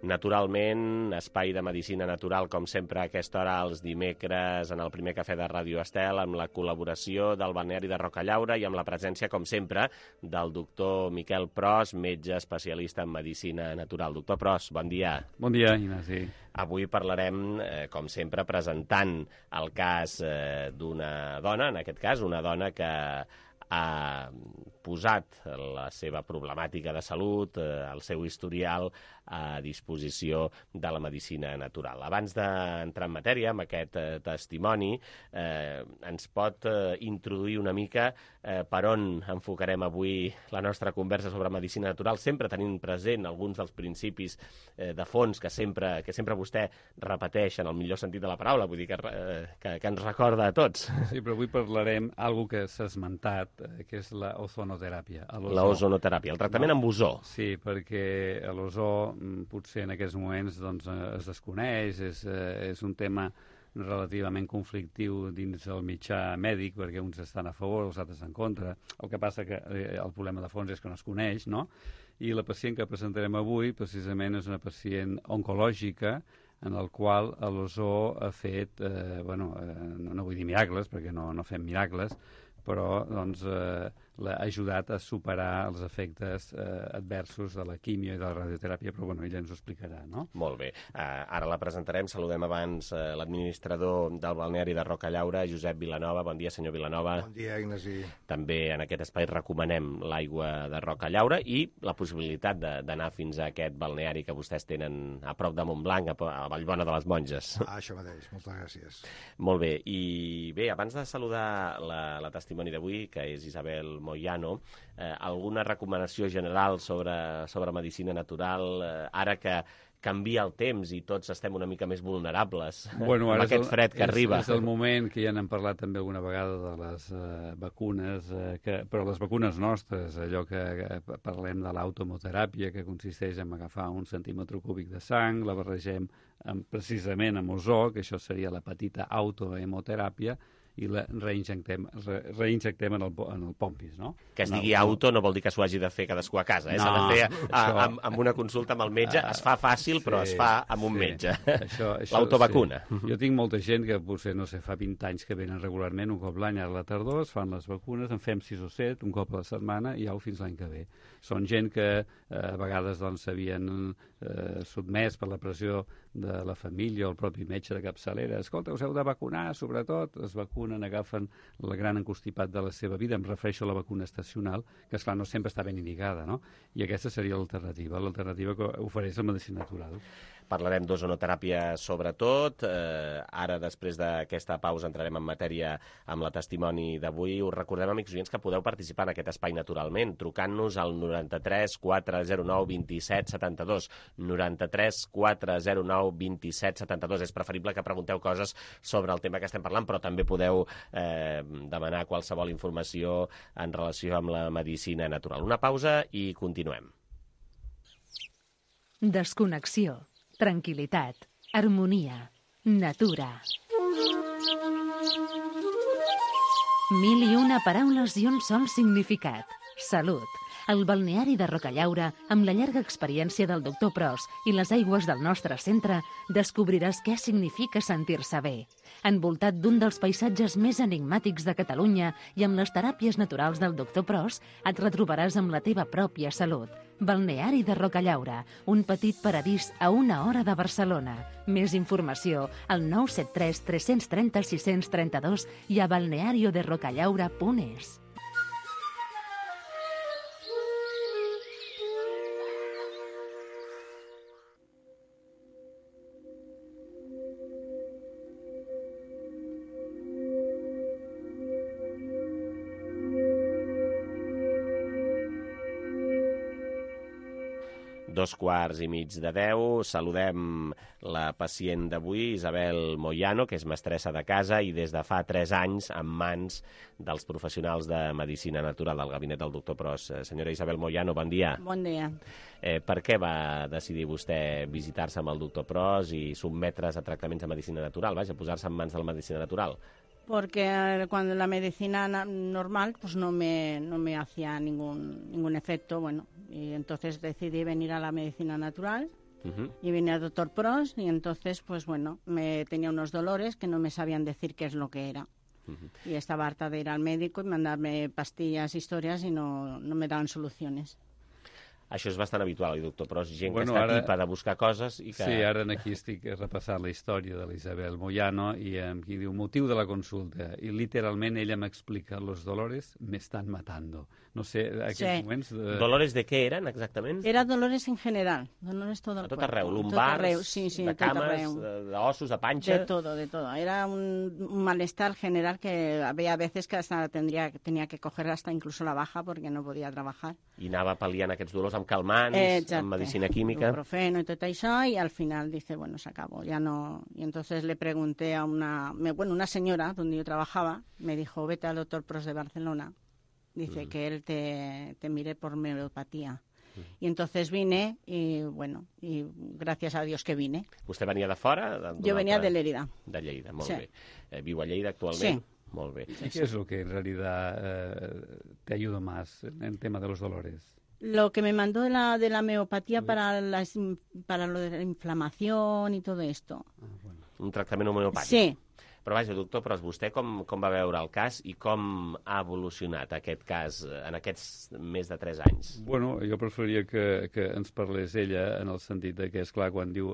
Naturalment, espai de medicina natural, com sempre, a aquesta hora, els dimecres, en el primer cafè de Ràdio Estel, amb la col·laboració del balneari de Rocallaura i amb la presència, com sempre, del doctor Miquel Pros, metge especialista en medicina natural. Doctor Pros, bon dia. Bon dia, Ignasi. Avui parlarem, com sempre, presentant el cas d'una dona, en aquest cas, una dona que ha posat la seva problemàtica de salut, el seu historial, a disposició de la medicina natural. Abans d'entrar en matèria amb aquest testimoni, ens pot introduir una mica per on enfocarem avui la nostra conversa sobre medicina natural, sempre tenint present alguns dels principis de fons que sempre vostè repeteix en el millor sentit de la paraula, vull dir que ens recorda a tots. Sí, però avui parlarem d'alguna que s'ha esmentat, que és l'ozonoteràpia. L'ozonoteràpia, el tractament amb ozó. Sí, perquè l'ozó potser en aquests moments doncs, es desconeix, és un tema relativament conflictiu dins el mitjà mèdic, perquè uns estan a favor, els altres en contra. El que passa que el problema de fons és que no es coneix, no? I la pacient que presentarem avui, precisament, és una pacient oncològica en el qual l'ozó ha fet, no vull dir miracles, perquè no fem miracles, però doncs, l'ha ajudat a superar els efectes adversos de la quimio i de la radioteràpia, però ella ens ho explicarà, no? Molt bé. Ara la presentarem. Saludem abans l'administrador del balneari de Rocallaura, Josep Vilanova. Bon dia, senyor Vilanova. Bon dia, Ignasi. També en aquest espai recomanem l'aigua de Rocallaura i la possibilitat d'anar fins a aquest balneari que vostès tenen a prop de Montblanc, a Vallbona de les Monges. Això mateix. Moltes gràcies. Molt bé. I bé, abans de saludar la testimoni d'avui, que és Isabel Moyano, alguna recomanació general sobre medicina natural, ara que canvia el temps i tots estem una mica més vulnerables amb aquest fred que arriba. És el moment que ja n'hem parlat també alguna vegada de les vacunes, però les vacunes nostres, allò que parlem de l'automoteràpia, que consisteix en agafar un centímetre cúbic de sang, la barregem precisament amb ozó, que això seria la petita autohemoteràpia, i la reinjectem en el pompis, no? Que es digui auto no vol dir que s'ho hagi de fer cadascú a casa, s'ha de fer amb una consulta amb el metge, es fa fàcil, però es fa amb un metge. L'autovacuna. Jo tinc molta gent que potser, no sé, fa 20 anys que venen regularment, un cop l'any a la tardor, es fan les vacunes, en fem 6 o 7, un cop a la setmana, i au fins l'any que ve. Són gent que a vegades s'havien sotmès per la pressió de la família o el propi metge de capçalera. Escolta, us heu de vacunar, sobretot, es vacunen, agafen el gran encostipat de la seva vida, em refereixo a la vacuna estacional, que esclar no sempre està ben indicada, no? I aquesta seria l'alternativa que ofereix la medicina natural. Parlarem d'ozonoteràpia sobretot. Ara, després d'aquesta pausa, entrarem en matèria amb la testimoni d'avui. Us recordem, amics oients, que podeu participar en aquest espai naturalment, trucant-nos al 93 409 27 72. 93 409 27 72. És preferible que pregunteu coses sobre el tema que estem parlant, però també podeu demanar qualsevol informació en relació amb la medicina natural. Una pausa i continuem. Desconnexió. Tranquil·litat, harmonia, natura. 1001 paraules i un sol significat. Salut. El balneari de Rocallaura, amb la llarga experiència del doctor Pros i les aigües del nostre centre, descobriràs què significa sentir-se bé. Envoltat d'un dels paisatges més enigmàtics de Catalunya i amb les teràpies naturals del doctor Pros, et retrobaràs amb la teva pròpia salut. Balneari de Rocallaura, un petit paradís a 1 hora de Barcelona. Més informació al 973 330 632 i a balnearioderocallaura.es. Dos quarts i mig de 10. Saludem la pacient d'avui, Isabel Moyano, que és mestressa de casa i des de fa 3 anys en mans dels professionals de medicina natural del gabinet del doctor Pros. Senyora Isabel Moyano, bon dia. Bon dia. Per què va decidir vostè visitar-se amb el doctor Pros i sotmetre's a tractaments de medicina natural? Vaja, posar-se en mans de la medicina natural. Porque cuando la medicina normal pues no me hacía ningún efecto, bueno, y entonces decidí venir a la medicina natural y vine al doctor Pros y entonces, pues bueno, me tenía unos dolores que no me sabían decir qué es lo que era. Y estaba harta de ir al médico y mandarme pastillas, historias, y no me daban soluciones. Això és bastant habitual, doctor, però és gent que està tipa de buscar coses i que... Sí, ara aquí estic repassant la història de l'Isabel Moyano i aquí diu, motiu de la consulta, i literalment ella m'explica, los dolores me están matando. No sé, aquests moments... Dolores de què eren, exactament? Era dolores en general, dolores todo el cuerpo. A tot arreu, lumbars, sí, de cames, d'ossos, de panxa... De todo. Era un malestar general que había veces que hasta tenía que coger hasta incluso la baja porque no podía trabajar. I anava pal·liant aquests dolors amb calmants, amb medicina química... Ibuprofeno y todo eso, y al final dice, bueno, se acabó, ya no... Y entonces le pregunté a una señora donde yo trabajaba, me dijo, vete al doctor Pros de Barcelona, dice que él te mire por homeopatía. Y entonces vine y, bueno, y gracias a Dios que vine. Vostè venia de fora? Jo venia de Lérida. De Lleida, molt bé. Viu a Lleida actualment? Sí. Molt bé. ¿Y qué es lo que en realidad te ayuda más en el tema de los dolores? Lo que me mandó de la homeopatía para lo de la inflamación y todo esto. Un tractament homeopàtic? Sí. Però vaja, doctor, però vostè com va veure el cas i com ha evolucionat aquest cas en aquests més de 3 anys? Bueno, jo preferiria que ens parlés ella en el sentit de que, esclar, quan diu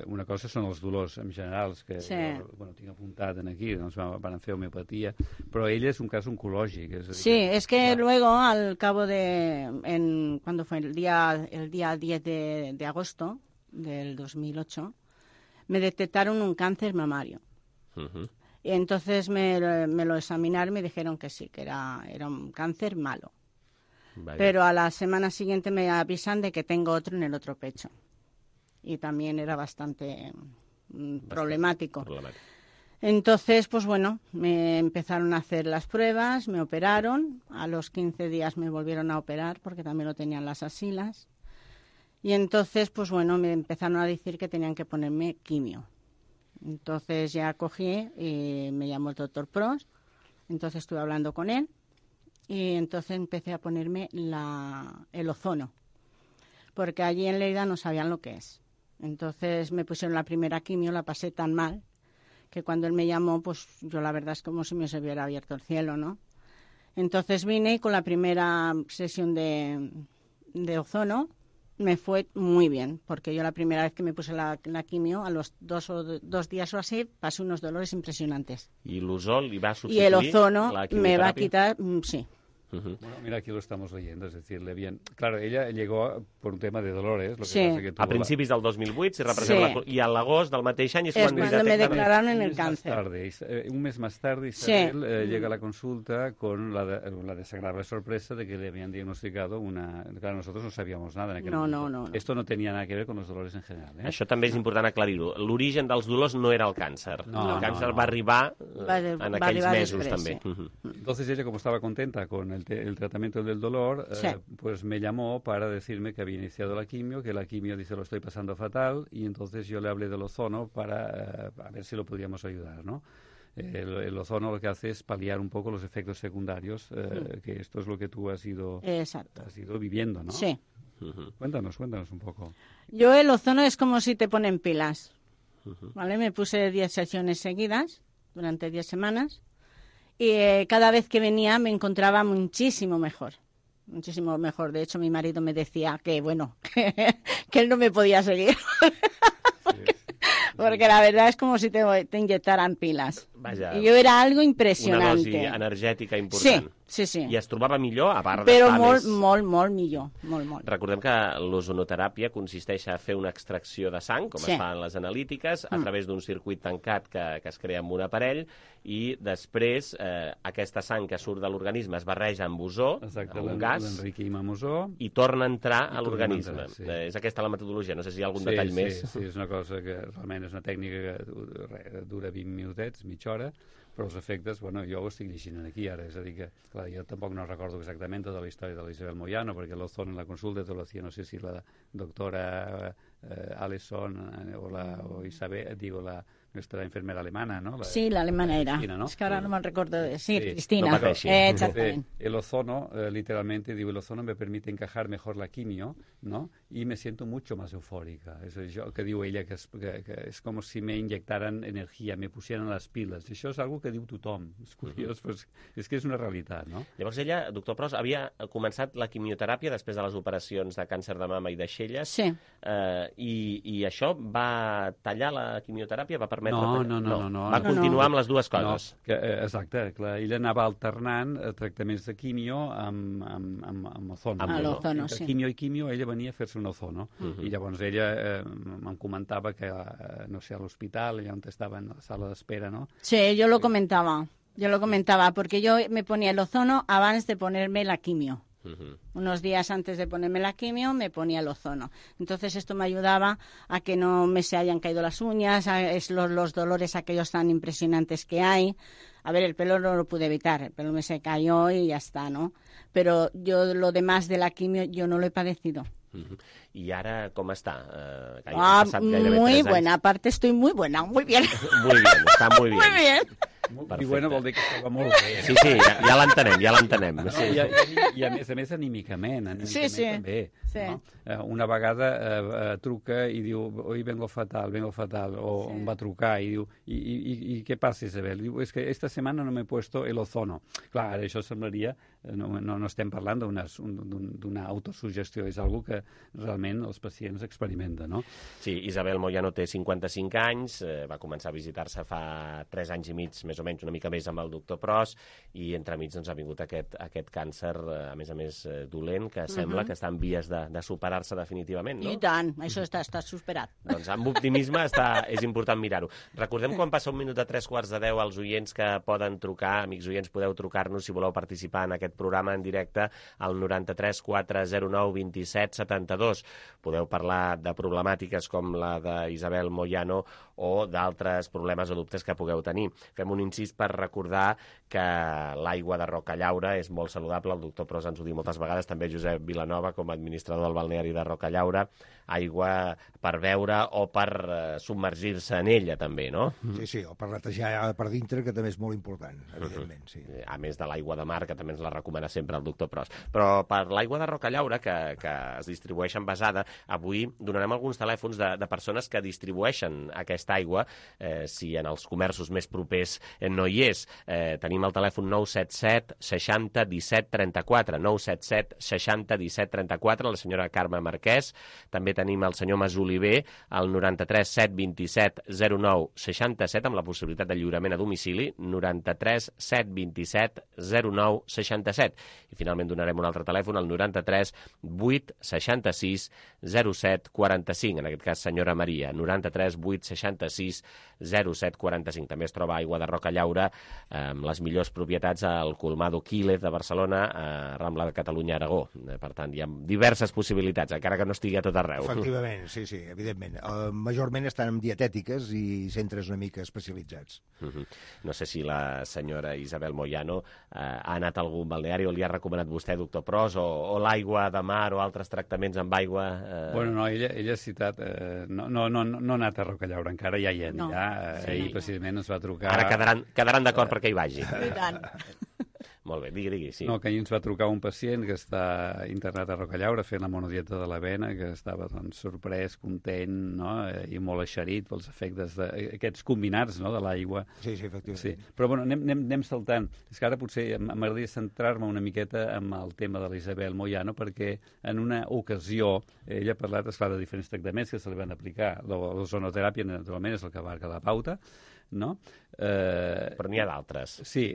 una cosa són els dolors en general, que tinc apuntat aquí, doncs van fer homeopatia, però ella és un cas oncològic. Sí, es que luego, al cabo de, cuando fue el día 10 de agosto del 2008, me detectaron un cáncer mamario. Y entonces me lo examinaron y me dijeron que sí, que era un cáncer malo. Vale. Pero a la semana siguiente me avisan de que tengo otro en el otro pecho. Y también era bastante problemático. Entonces, pues bueno, me empezaron a hacer las pruebas, me operaron. A los 15 días me volvieron a operar porque también lo tenían las axilas. Y entonces, pues bueno, me empezaron a decir que tenían que ponerme quimio. Entonces ya cogí y me llamó el doctor Pros, entonces estuve hablando con él y entonces empecé a ponerme el ozono, porque allí en Lleida no sabían lo que es. Entonces me pusieron la primera quimio, la pasé tan mal que cuando él me llamó, pues yo la verdad es como si me se hubiera abierto el cielo, ¿no? Entonces vine y con la primera sesión de ozono me fue muy bien, porque yo la primera vez que me puse la quimio, a los 2 días o así, pasé unos dolores impresionantes. ¿Y el ozón le va a sustituir? Y el ozono me va a quitar, sí. Bueno, mira, aquí lo estamos leyendo, es decirle bien. Claro, ella llegó por un tema de dolores. Lo que sí. pasa que a principis del 2008, i a l'agost del mateix any és cuando me declararon en el cáncer. Un mes más tarde, Isabel llega a la consulta con la desagradable sorpresa de que le habían diagnosticado una... Claro, nosotros no sabíamos nada en aquel momento. No. Esto no tenía nada que ver con los dolores en general. Això també és important aclarir-ho. L'origen dels dolors no era el càncer. El càncer va arribar en aquells mesos també. Entonces ella, como estaba contenta con el tratamiento del dolor, pues me llamó para decirme que había iniciado la quimio, que la quimio dice lo estoy pasando fatal, y entonces yo le hablé del ozono para a ver si lo podíamos ayudar, ¿no? El ozono lo que hace es paliar un poco los efectos secundarios, que esto es lo que tú has ido viviendo, ¿no? Sí. Cuéntanos un poco. Yo el ozono es como si te ponen pilas, ¿vale? Me puse 10 sesiones seguidas durante 10 semanas. Y cada vez que venía me encontraba muchísimo mejor. De hecho, mi marido me decía que, bueno, que él no me podía seguir. Porque la verdad es como si te inyectaran pilas. Vaja, I jo era algo impressionante. Una dosi energètica important. Sí. I es trobava millor, a part però d'estar més... Però molt millor, molt. Recordem que l'ozonoteràpia consisteix a fer una extracció de sang, com es fa en les analítiques, a través d'un circuit tancat que es crea amb un aparell, i després aquesta sang que surt de l'organisme es barreja amb ozó, un gas, i torna a entrar a l'organisme. És aquesta la metodologia, no sé si hi ha algun detall més. Sí, és una cosa que realment és una tècnica que dura 20 minutets, mitja hora, però els efectes, bueno, jo ho estic llegint aquí ara, és a dir que, clar, jo tampoc no recordo exactament tota la història de l'Isabel Moyano, perquè l'ozón en la consulta te lo hacía, no sé si la doctora Alison o Isabel, digo, esta enfermera alemana, ¿no? Sí, la alemana era. Cristina, ¿no? Es que ahora no me recuerdo de decir, Sí. Cristina. No pateixi. Exactamente. El ozono, literalmente, digo, el ozono me permite encajar mejor la quimio, ¿no? Y me siento mucho más eufórica. Eso és jo, que diu ella, que és com si me inyectaran energia, me pusieran les piles. Això és algo que diu tothom. És curiós, però és que és una realitat, no? Llavors ella, doctor Pros, havia començat la quimioteràpia després de les operacions de càncer de mama i d'aixelles. Sí. I això va tallar la quimioteràpia? Va permetre... No. Va continuar amb les dues coses. No, exacte, clar, ella anava alternant tractaments de quimio amb ozono. Amb l'ozono, Entre sí. quimio i quimio ella venia a fer-se un ozono. I llavors ella em comentava que, no sé, a l'hospital, allà on estava en la sala d'espera, ¿no? Sí, yo lo comentaba, porque yo me ponía el ozono antes de ponerme la quimio. Unos días antes de ponerme la quimio me ponía el ozono. Entonces esto me ayudaba a que no me se hayan caído las uñas, los dolores aquellos tan impresionantes que hay. A ver, el pelo no lo pude evitar, el pelo me se cayó y ya está, ¿no? Pero yo lo demás de la quimio yo no lo he padecido. I ara com està? Muy buena, aparte estoy muy buena, muy bien. Muy bien, està muy bien. Muy bien. I bueno vol dir que estava molt bé. Sí, ja l'entenem. Sí. I a més anímicament sí. també. Sí. No? Una vegada truca i diu, hoy vengo fatal, o em va trucar i diu, i què passa, Isabel? Diu, és que esta setmana no m'he puesto el ozono. Clar, això semblaria, no estem parlant d'una autosugestió, és algo que realment els pacients experimenten, no? Sí, Isabel Moyano té 55 anys, va començar a visitar-se fa 3 anys i mig, més o menys, una mica més amb el doctor Pros, i entremig doncs, ha vingut aquest càncer, a més dolent, que sembla que està en vies de superar-se definitivament, no? I tant, això està superat. Doncs amb optimisme és important mirar-ho. Recordem quan passa 1 minut de 3:45 als oients que poden trucar, amics oients, podeu trucar-nos si voleu participar en aquest programa en directe al 93 409 27 72. Podeu parlar de problemàtiques com la d'Isabel Moyano o d'altres problemes o dubtes que pugueu tenir. Fem un incís per recordar que l'aigua de Rocallaura és molt saludable, el doctor Pros ens ho diu moltes vegades, també Josep Vilanova, com a administrador del balneari de Rocallaura, aigua per beure o per submergir-se en ella, també, no? Sí, o per netejar per dintre, que també és molt important, evidentment, sí. A més de l'aigua de mar, que també ens la recomana sempre el doctor Pros. Però per l'aigua de Rocallaura, que es distribueix envasada, avui donarem alguns telèfons de persones que distribueixen aquesta aigua, si en els comerços més propers no hi és. Tenim el telèfon 977 60 17 34, 977 60 17 34, la senyora Carme Marquès. També tenim el senyor Mas Oliver, al 93 727 09 67, amb la possibilitat de lliurament a domicili, 93 727 09 67. I finalment donarem un altre telèfon, al 93 8 66 07 45, en aquest cas senyora Maria, 93 8 66 07 45. També es troba aigua de Rocallaura, amb les millors propietats al Colmado Quílez de Barcelona, a Rambla de Catalunya, Aragó. Per tant, hi ha diverses possibilitats, encara que no estigui a tot arreu. Efectivament, sí, evidentment. Majorment estan en dietètiques i centres una mica especialitzats. No sé si la senyora Isabel Moyano ha anat a algun balneari o li ha recomanat vostè, doctor Pros, o l'aigua de mar o altres tractaments amb aigua... Bueno, no, ella ha citat... No ha anat a Rocallaura encara, ja hi anirà. Ahir precisament ens va trucar... Ara quedaran d'acord perquè hi vagi. I tant. Molt bé, digui, sí. No, que ahir ens va trucar un pacient que està internat a Rocallaura fent la monodieta de l'avena, que estava doncs, sorprès, content, no? I molt eixerit pels efectes d'aquests combinats, no? De l'aigua. Sí, efectivament. Sí. Però bueno, anem saltant. És que ara potser m'agradaria centrar-me una miqueta amb el tema de l'Isabel Moyano, perquè en una ocasió ella ha parlat, esclar, de diferents tractaments que se li van aplicar. L'ozonoteràpia, naturalment, és el que abarca la pauta, no? Però n'hi ha d'altres. Sí,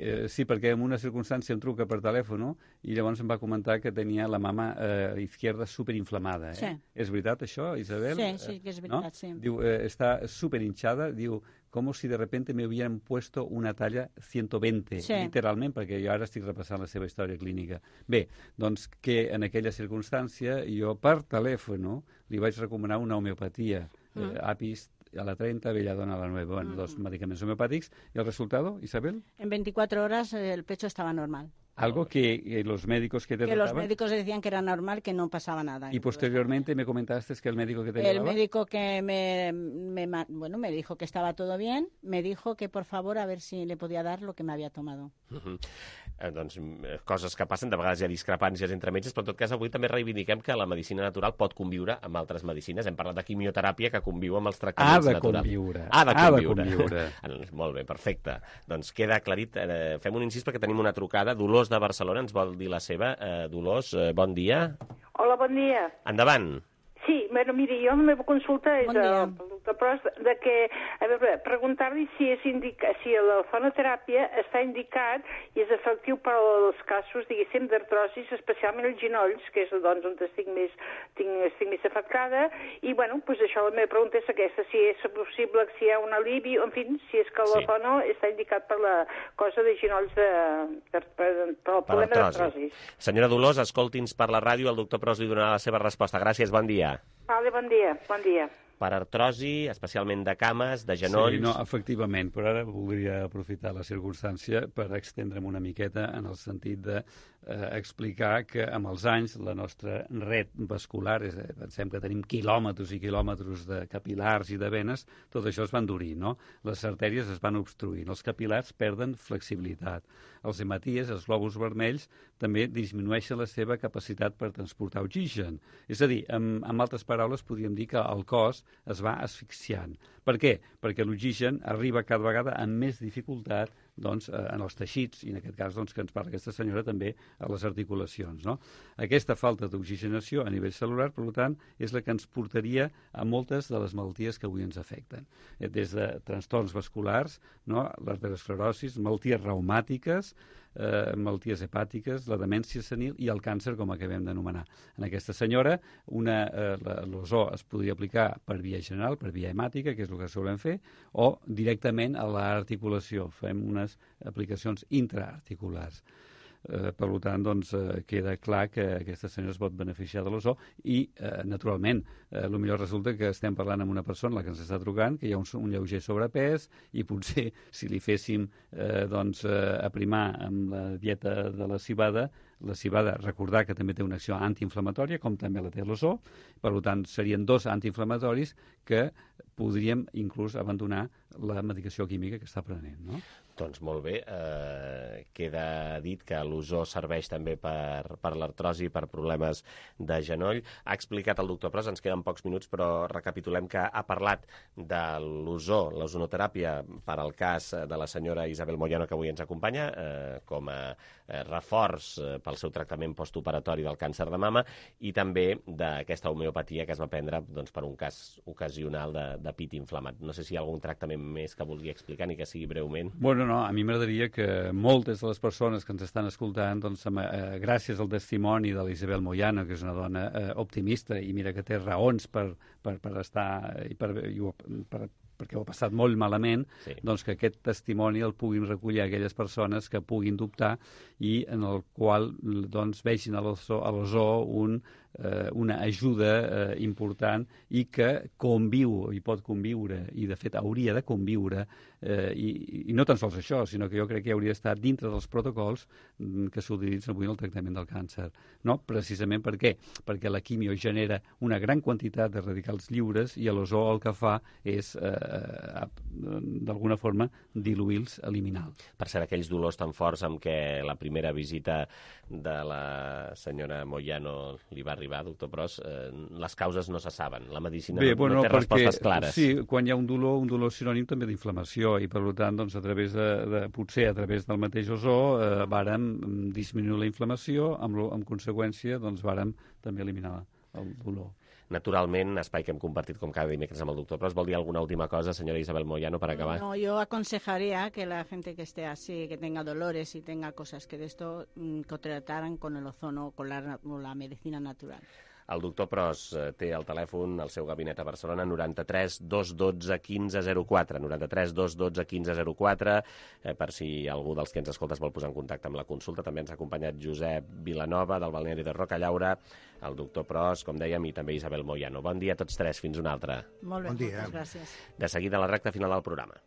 perquè en una circumstància em truca per telèfon i llavors em va comentar que tenia la mama izquierda superinflamada. Sí. És veritat això, Isabel? Sí, que és veritat, sí. Diu, està superhinchada, diu, como si de repente me hubieran puesto una talla 120, literalment, perquè jo ara estic repassant la seva història clínica. Bé, doncs que en aquella circumstància jo per telèfon li vaig recomanar una homeopatia, Apis a la 30, Belladona a la 9. Bueno, dos medicamentos homeopáticos. ¿Y el resultado, Isabel? En 24 horas el pecho estaba normal. Algo que los médicos que te Que los trataban... médicos decían que era normal, que no pasaba nada. Y posteriormente me comentaste que el médico que te El llevaba... médico que me dijo que estava todo bien, me dijo que por favor a ver si le podía dar lo que me había tomado. Doncs coses que passen, de vegades hi ha discrepàncies entre metges, però en tot cas avui també reivindiquem que la medicina natural pot conviure amb altres medicines. Hem parlat de quimioteràpia que conviu amb els tractaments naturals. Ha de conviure. Molt bé, perfecte. Doncs queda aclarit. Fem un incís perquè tenim una trucada. Dolors de Barcelona ens vol dir la seva. Dolors, bon dia. Hola, bon dia. Endavant. Sí, bueno, miri, jo la meva consulta és al doctor Pros de que, a veure, preguntar-li si la fonoteràpia està indicat i és efectiu per als casos, diguéssim, d'artrosis, especialment els ginolls, que és doncs on estic més afectada, i, bueno, doncs això, la meva pregunta és aquesta, si és possible, si hi ha un alivi, en fi, si és que la fono està indicat per la cosa de ginolls, per el problema d'artrosis. Senyora Dolors, escolti'ns per la ràdio, el doctor Pros li donarà la seva resposta. Gràcies, bon dia. Vale, bon dia, bon dia. Per artrosi, especialment de cames, de genolls... Sí, no, efectivament, però ara voldria aprofitar la circumstància per extendre'm una miqueta en el sentit de explicar que amb els anys la nostra red vascular, pensem que tenim quilòmetres i quilòmetres de capilars i de venes, tot això es va endurir, no? Les artèries es van obstruint, els capilars perden flexibilitat, els hematies, els glòbuls vermells, també disminueixen la seva capacitat per transportar oxigen. És a dir, amb altres paraules, podríem dir que el cos es va asfixiant. Per què? Perquè l'oxigen arriba cada vegada amb més dificultat doncs, en els teixits, i en aquest cas doncs, que ens parla aquesta senyora també a les articulacions. No? Aquesta falta d'oxigenació a nivell celular, per tant, és la que ens portaria a moltes de les malalties que avui ens afecten. Des de trastorns vasculars, no? L'arteriosclerosi, malalties reumàtiques, malalties hepàtiques, la demència senil i el càncer, com acabem d'anomenar. En aquesta senyora, l'ozó es podria aplicar per via general, per via hemàtica, que és el que solem fer, o directament a l'articulació. Fem unes aplicacions intraarticulars. Per tant, doncs, queda clar que aquesta senyora es pot beneficiar de l'ozó i, naturalment, potser resulta que estem parlant amb una persona, la que ens està trucant, que hi ha un lleuger sobrepès i potser si li féssim aprimar amb la dieta de la civada, recordar que també té una acció antiinflamatòria, com també la té l'ozó, per tant, serien dos antiinflamatoris que podríem inclús abandonar la medicació química que està prenent, no? Doncs molt bé, queda dit que l'ozó serveix també per l'artrosi, per problemes de genoll. Ha explicat el doctor Pros, ens queden pocs minuts, però recapitulem que ha parlat de l'ozó, l'ozonoteràpia, per al cas de la senyora Isabel Moyano, que avui ens acompanya, com a reforç pel seu tractament postoperatori del càncer de mama, i també d'aquesta homeopatia que es va prendre per un cas ocasional de pit inflamat. No sé si hi ha algun tractament més que vulgui explicar, ni que sigui breument. Bueno, no, a mi m'agradaria que moltes de les persones que ens estan escoltant, doncs, gràcies al testimoni de l'Isabel Moyano, que és una dona optimista i mira que té raons per estar perquè ho ha passat molt malament, sí. Doncs que aquest testimoni el puguin recollir aquelles persones que puguin dubtar i en el qual doncs, vegin a l'ozó una ajuda important i que conviu i pot conviure, i de fet hauria de conviure, i no tan sols això, sinó que jo crec que hauria d'estar dintre dels protocols que s'utilitzen avui en el tractament del càncer. No? Precisament per què? Perquè la quimio genera una gran quantitat de radicals lliures i l'ozó el que fa és, d'alguna forma, diluir-los, eliminar-los. Per cert, aquells dolors tan forts amb què la primera visita de la senyora Moyano li va arribar, doctor Pros, les causes no se saben. La medicina no té respostes clares. Sí, quan hi ha un dolor sinònim també d'inflamació i, per tant, doncs, potser a través del mateix ozó vàrem disminuir la inflamació, amb conseqüència doncs, vàrem també eliminar el dolor. Naturalment, espai que hem compartit com cada dimecres amb el doctor Pros. ¿Vol dir alguna última cosa, señora Isabel Moyano, para acabar? No, yo aconsejaría que la gente que esté así, que tenga dolores y tenga cosas que de esto, que trataran con el ozono, con la medicina natural. El doctor Pros té el telèfon al seu gabinet a Barcelona 93 212 1504, 93 212 1504, per si algú dels que ens escoltes vol posar en contacte amb la consulta. També ens ha acompanyat Josep Vilanova, del balneari de Rocallaura, el doctor Pros, com dèiem, i també Isabel Moyano. Bon dia a tots tres, fins una altra. Molt bé, bon dia. moltes gràcies. De seguida, la recta final del programa.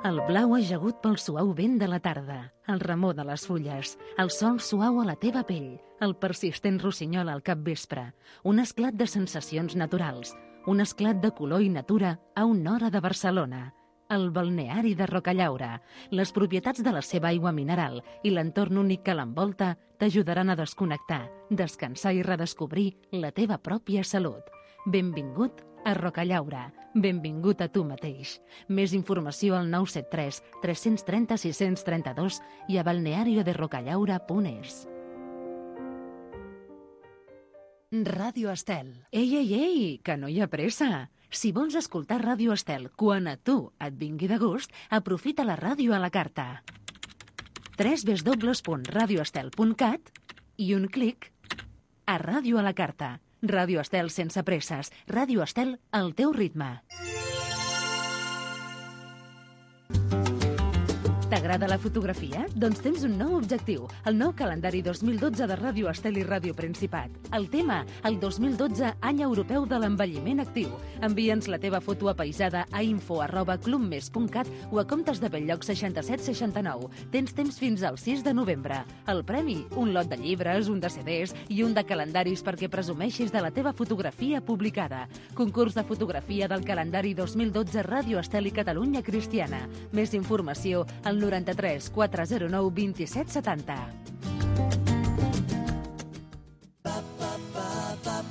El blau ajagut pel suau vent de la tarda, el remor de les fulles, el sol suau a la teva pell, el persistent rossinyol al capvespre, un esclat de sensacions naturals, un esclat de color i natura a una hora de Barcelona, el balneari de Rocallaura. Les propietats de la seva aigua mineral i l'entorn únic que l'envolta t'ajudaran a desconnectar, descansar i redescobrir la teva pròpia salut. Benvingut a Rocallaura. Benvingut a tu mateix. Més informació al 973 330 632 i a balnearioderocallaura.es. Ràdio Estel. Ei, que no hi ha pressa. Si vols escoltar Ràdio Estel quan a tu et vingui de gust, aprofita la ràdio a la carta. www.radioestel.cat i un clic a Ràdio a la carta. Ràdio Estel sense presses. Ràdio Estel al teu ritme. T'agrada la fotografia? Doncs tens un nou objectiu, el nou calendari 2012 de Ràdio Estel i Ràdio Principat. El tema, el 2012, any europeu de l'envelliment actiu. Envia'ns la teva foto apaisada a info@clubmes.cat o a comptes de Belllloc 6769. Tens temps fins al 6 de novembre. El premi, un lot de llibres, un de CDs i un de calendaris perquè presumeixis de la teva fotografia publicada. Concurs de fotografia del calendari 2012 Ràdio Estel i Catalunya Cristiana. Més informació al 93 409 27 70.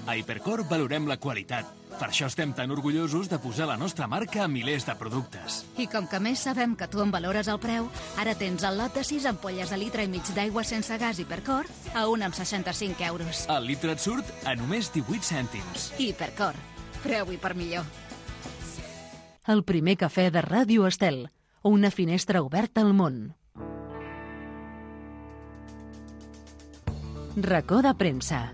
A Hipercor valorem la qualitat. Per això estem tan orgullosos de posar la nostra marca a milers de productes. I com que més sabem que tu en valores el preu, ara tens el lot de 6 ampolles de litre i mig d'aigua sense gas Hipercor a 1,65 €. El litre et surt a només 18 cèntims. Hipercor. Preu i per millor. El primer cafè de Ràdio Estel. Una finestra oberta al món. Racó de premsa.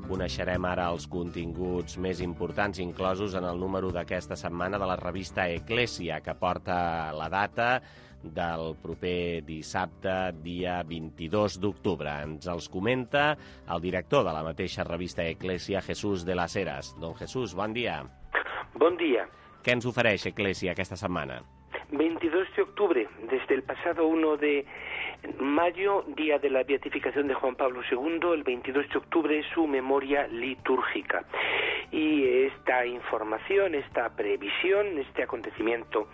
Coneixerem ara els continguts més importants inclosos en el número d'aquesta setmana de la revista Eclèsia, que porta la data del proper dissabte, dia 22 d'octubre. Ens els comenta el director de la mateixa revista Eclèsia, Jesús de las Heras. Don Jesús, bon dia. Bon dia. Què ens ofereix Eclèsia aquesta setmana? 22 de octubre, desde el pasado 1 de mayo, día de la beatificación de Juan Pablo II, el 22 de octubre es su memoria litúrgica. Y esta información, esta previsión, este acontecimiento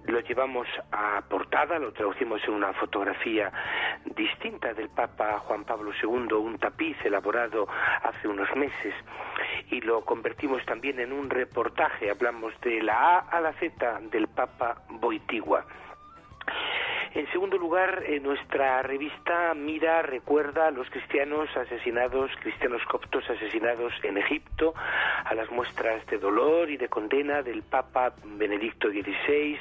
lo llevamos a portada, lo traducimos en una fotografía distinta del Papa Juan Pablo II, un tapiz elaborado hace unos meses, y lo convertimos también en un reportaje. Hablamos de la A a la Z del Papa Wojtyła. En segundo lugar, nuestra revista recuerda a los cristianos coptos asesinados en Egipto, a las muestras de dolor y de condena del Papa Benedicto XVI,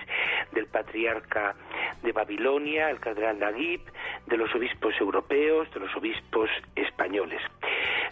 del patriarca de Babilonia, el cardenal Naguib, de los obispos europeos, de los obispos españoles.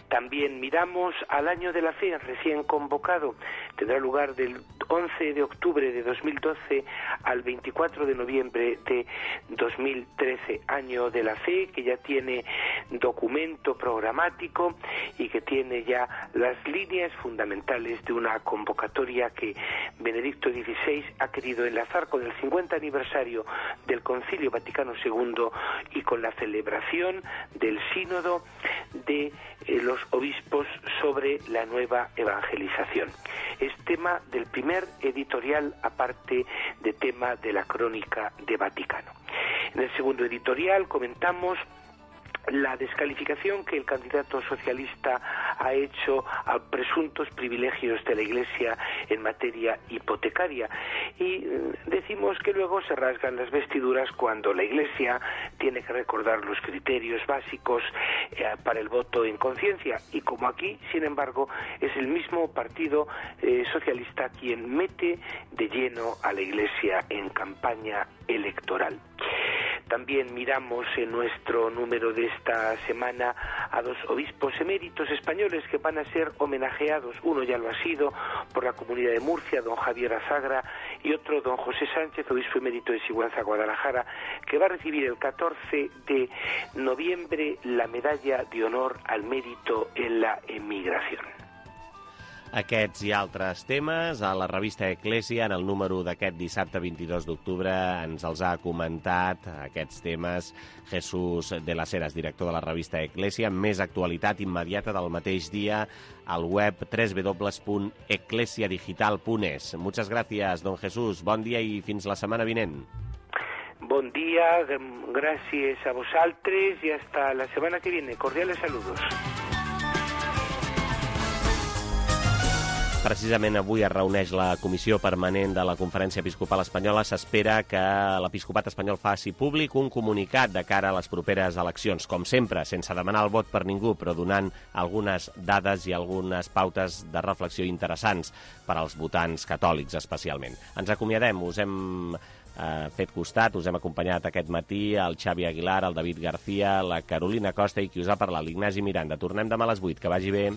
También miramos al Año de la Fe recién convocado. Tendrá lugar del 11 de octubre de 2012 al 24 de noviembre de 2013, Año de la Fe, que ya tiene documento programático y que tiene ya las líneas fundamentales de una convocatoria que Benedicto XVI ha querido enlazar con el 50 aniversario del Concilio Vaticano II y con la celebración del Sínodo de los obispos sobre la nueva evangelización. Es tema del primer editorial, aparte de tema de la Crónica de Vaticano. En el segundo editorial comentamos la descalificación que el candidato socialista ha hecho a presuntos privilegios de la Iglesia en materia hipotecaria. Y decimos que luego se rasgan las vestiduras cuando la Iglesia tiene que recordar los criterios básicos para el voto en conciencia. Y como aquí, sin embargo, es el mismo Partido Socialista quien mete de lleno a la Iglesia en campaña electoral. También miramos en nuestro número de esta semana a dos obispos eméritos españoles que van a ser homenajeados. Uno ya lo ha sido por la Comunidad de Murcia, don Javier Azagra, y otro don José Sánchez, obispo emérito de Sigüenza, Guadalajara, que va a recibir el 14 de noviembre la medalla de honor al mérito en la emigración. Aquests i altres temes a la revista Eclésia, en el número d'aquest dissabte 22 d'octubre, ens els ha comentat aquests temes Jesús de las Heras, director de la revista Eclésia, amb més actualitat immediata del mateix dia al web www.eclesiadigital.es. Muchas gracias, don Jesús. Bon dia i fins la setmana vinent. Bon dia, gràcies a vosaltres i hasta la setmana que viene. Cordiales saludos. Precisament avui es reuneix la Comissió Permanent de la Conferència Episcopal Espanyola. S'espera que l'Episcopat espanyol faci públic un comunicat de cara a les properes eleccions, com sempre, sense demanar el vot per ningú, però donant algunes dades i algunes pautes de reflexió interessants per als votants catòlics, especialment. Ens acomiadem, us hem fet costat, us hem acompanyat aquest matí el Xavi Aguilar, el David García, la Carolina Costa i qui us ha parlat, l'Ignasi Miranda. Tornem demà a les 8, que vagi bé.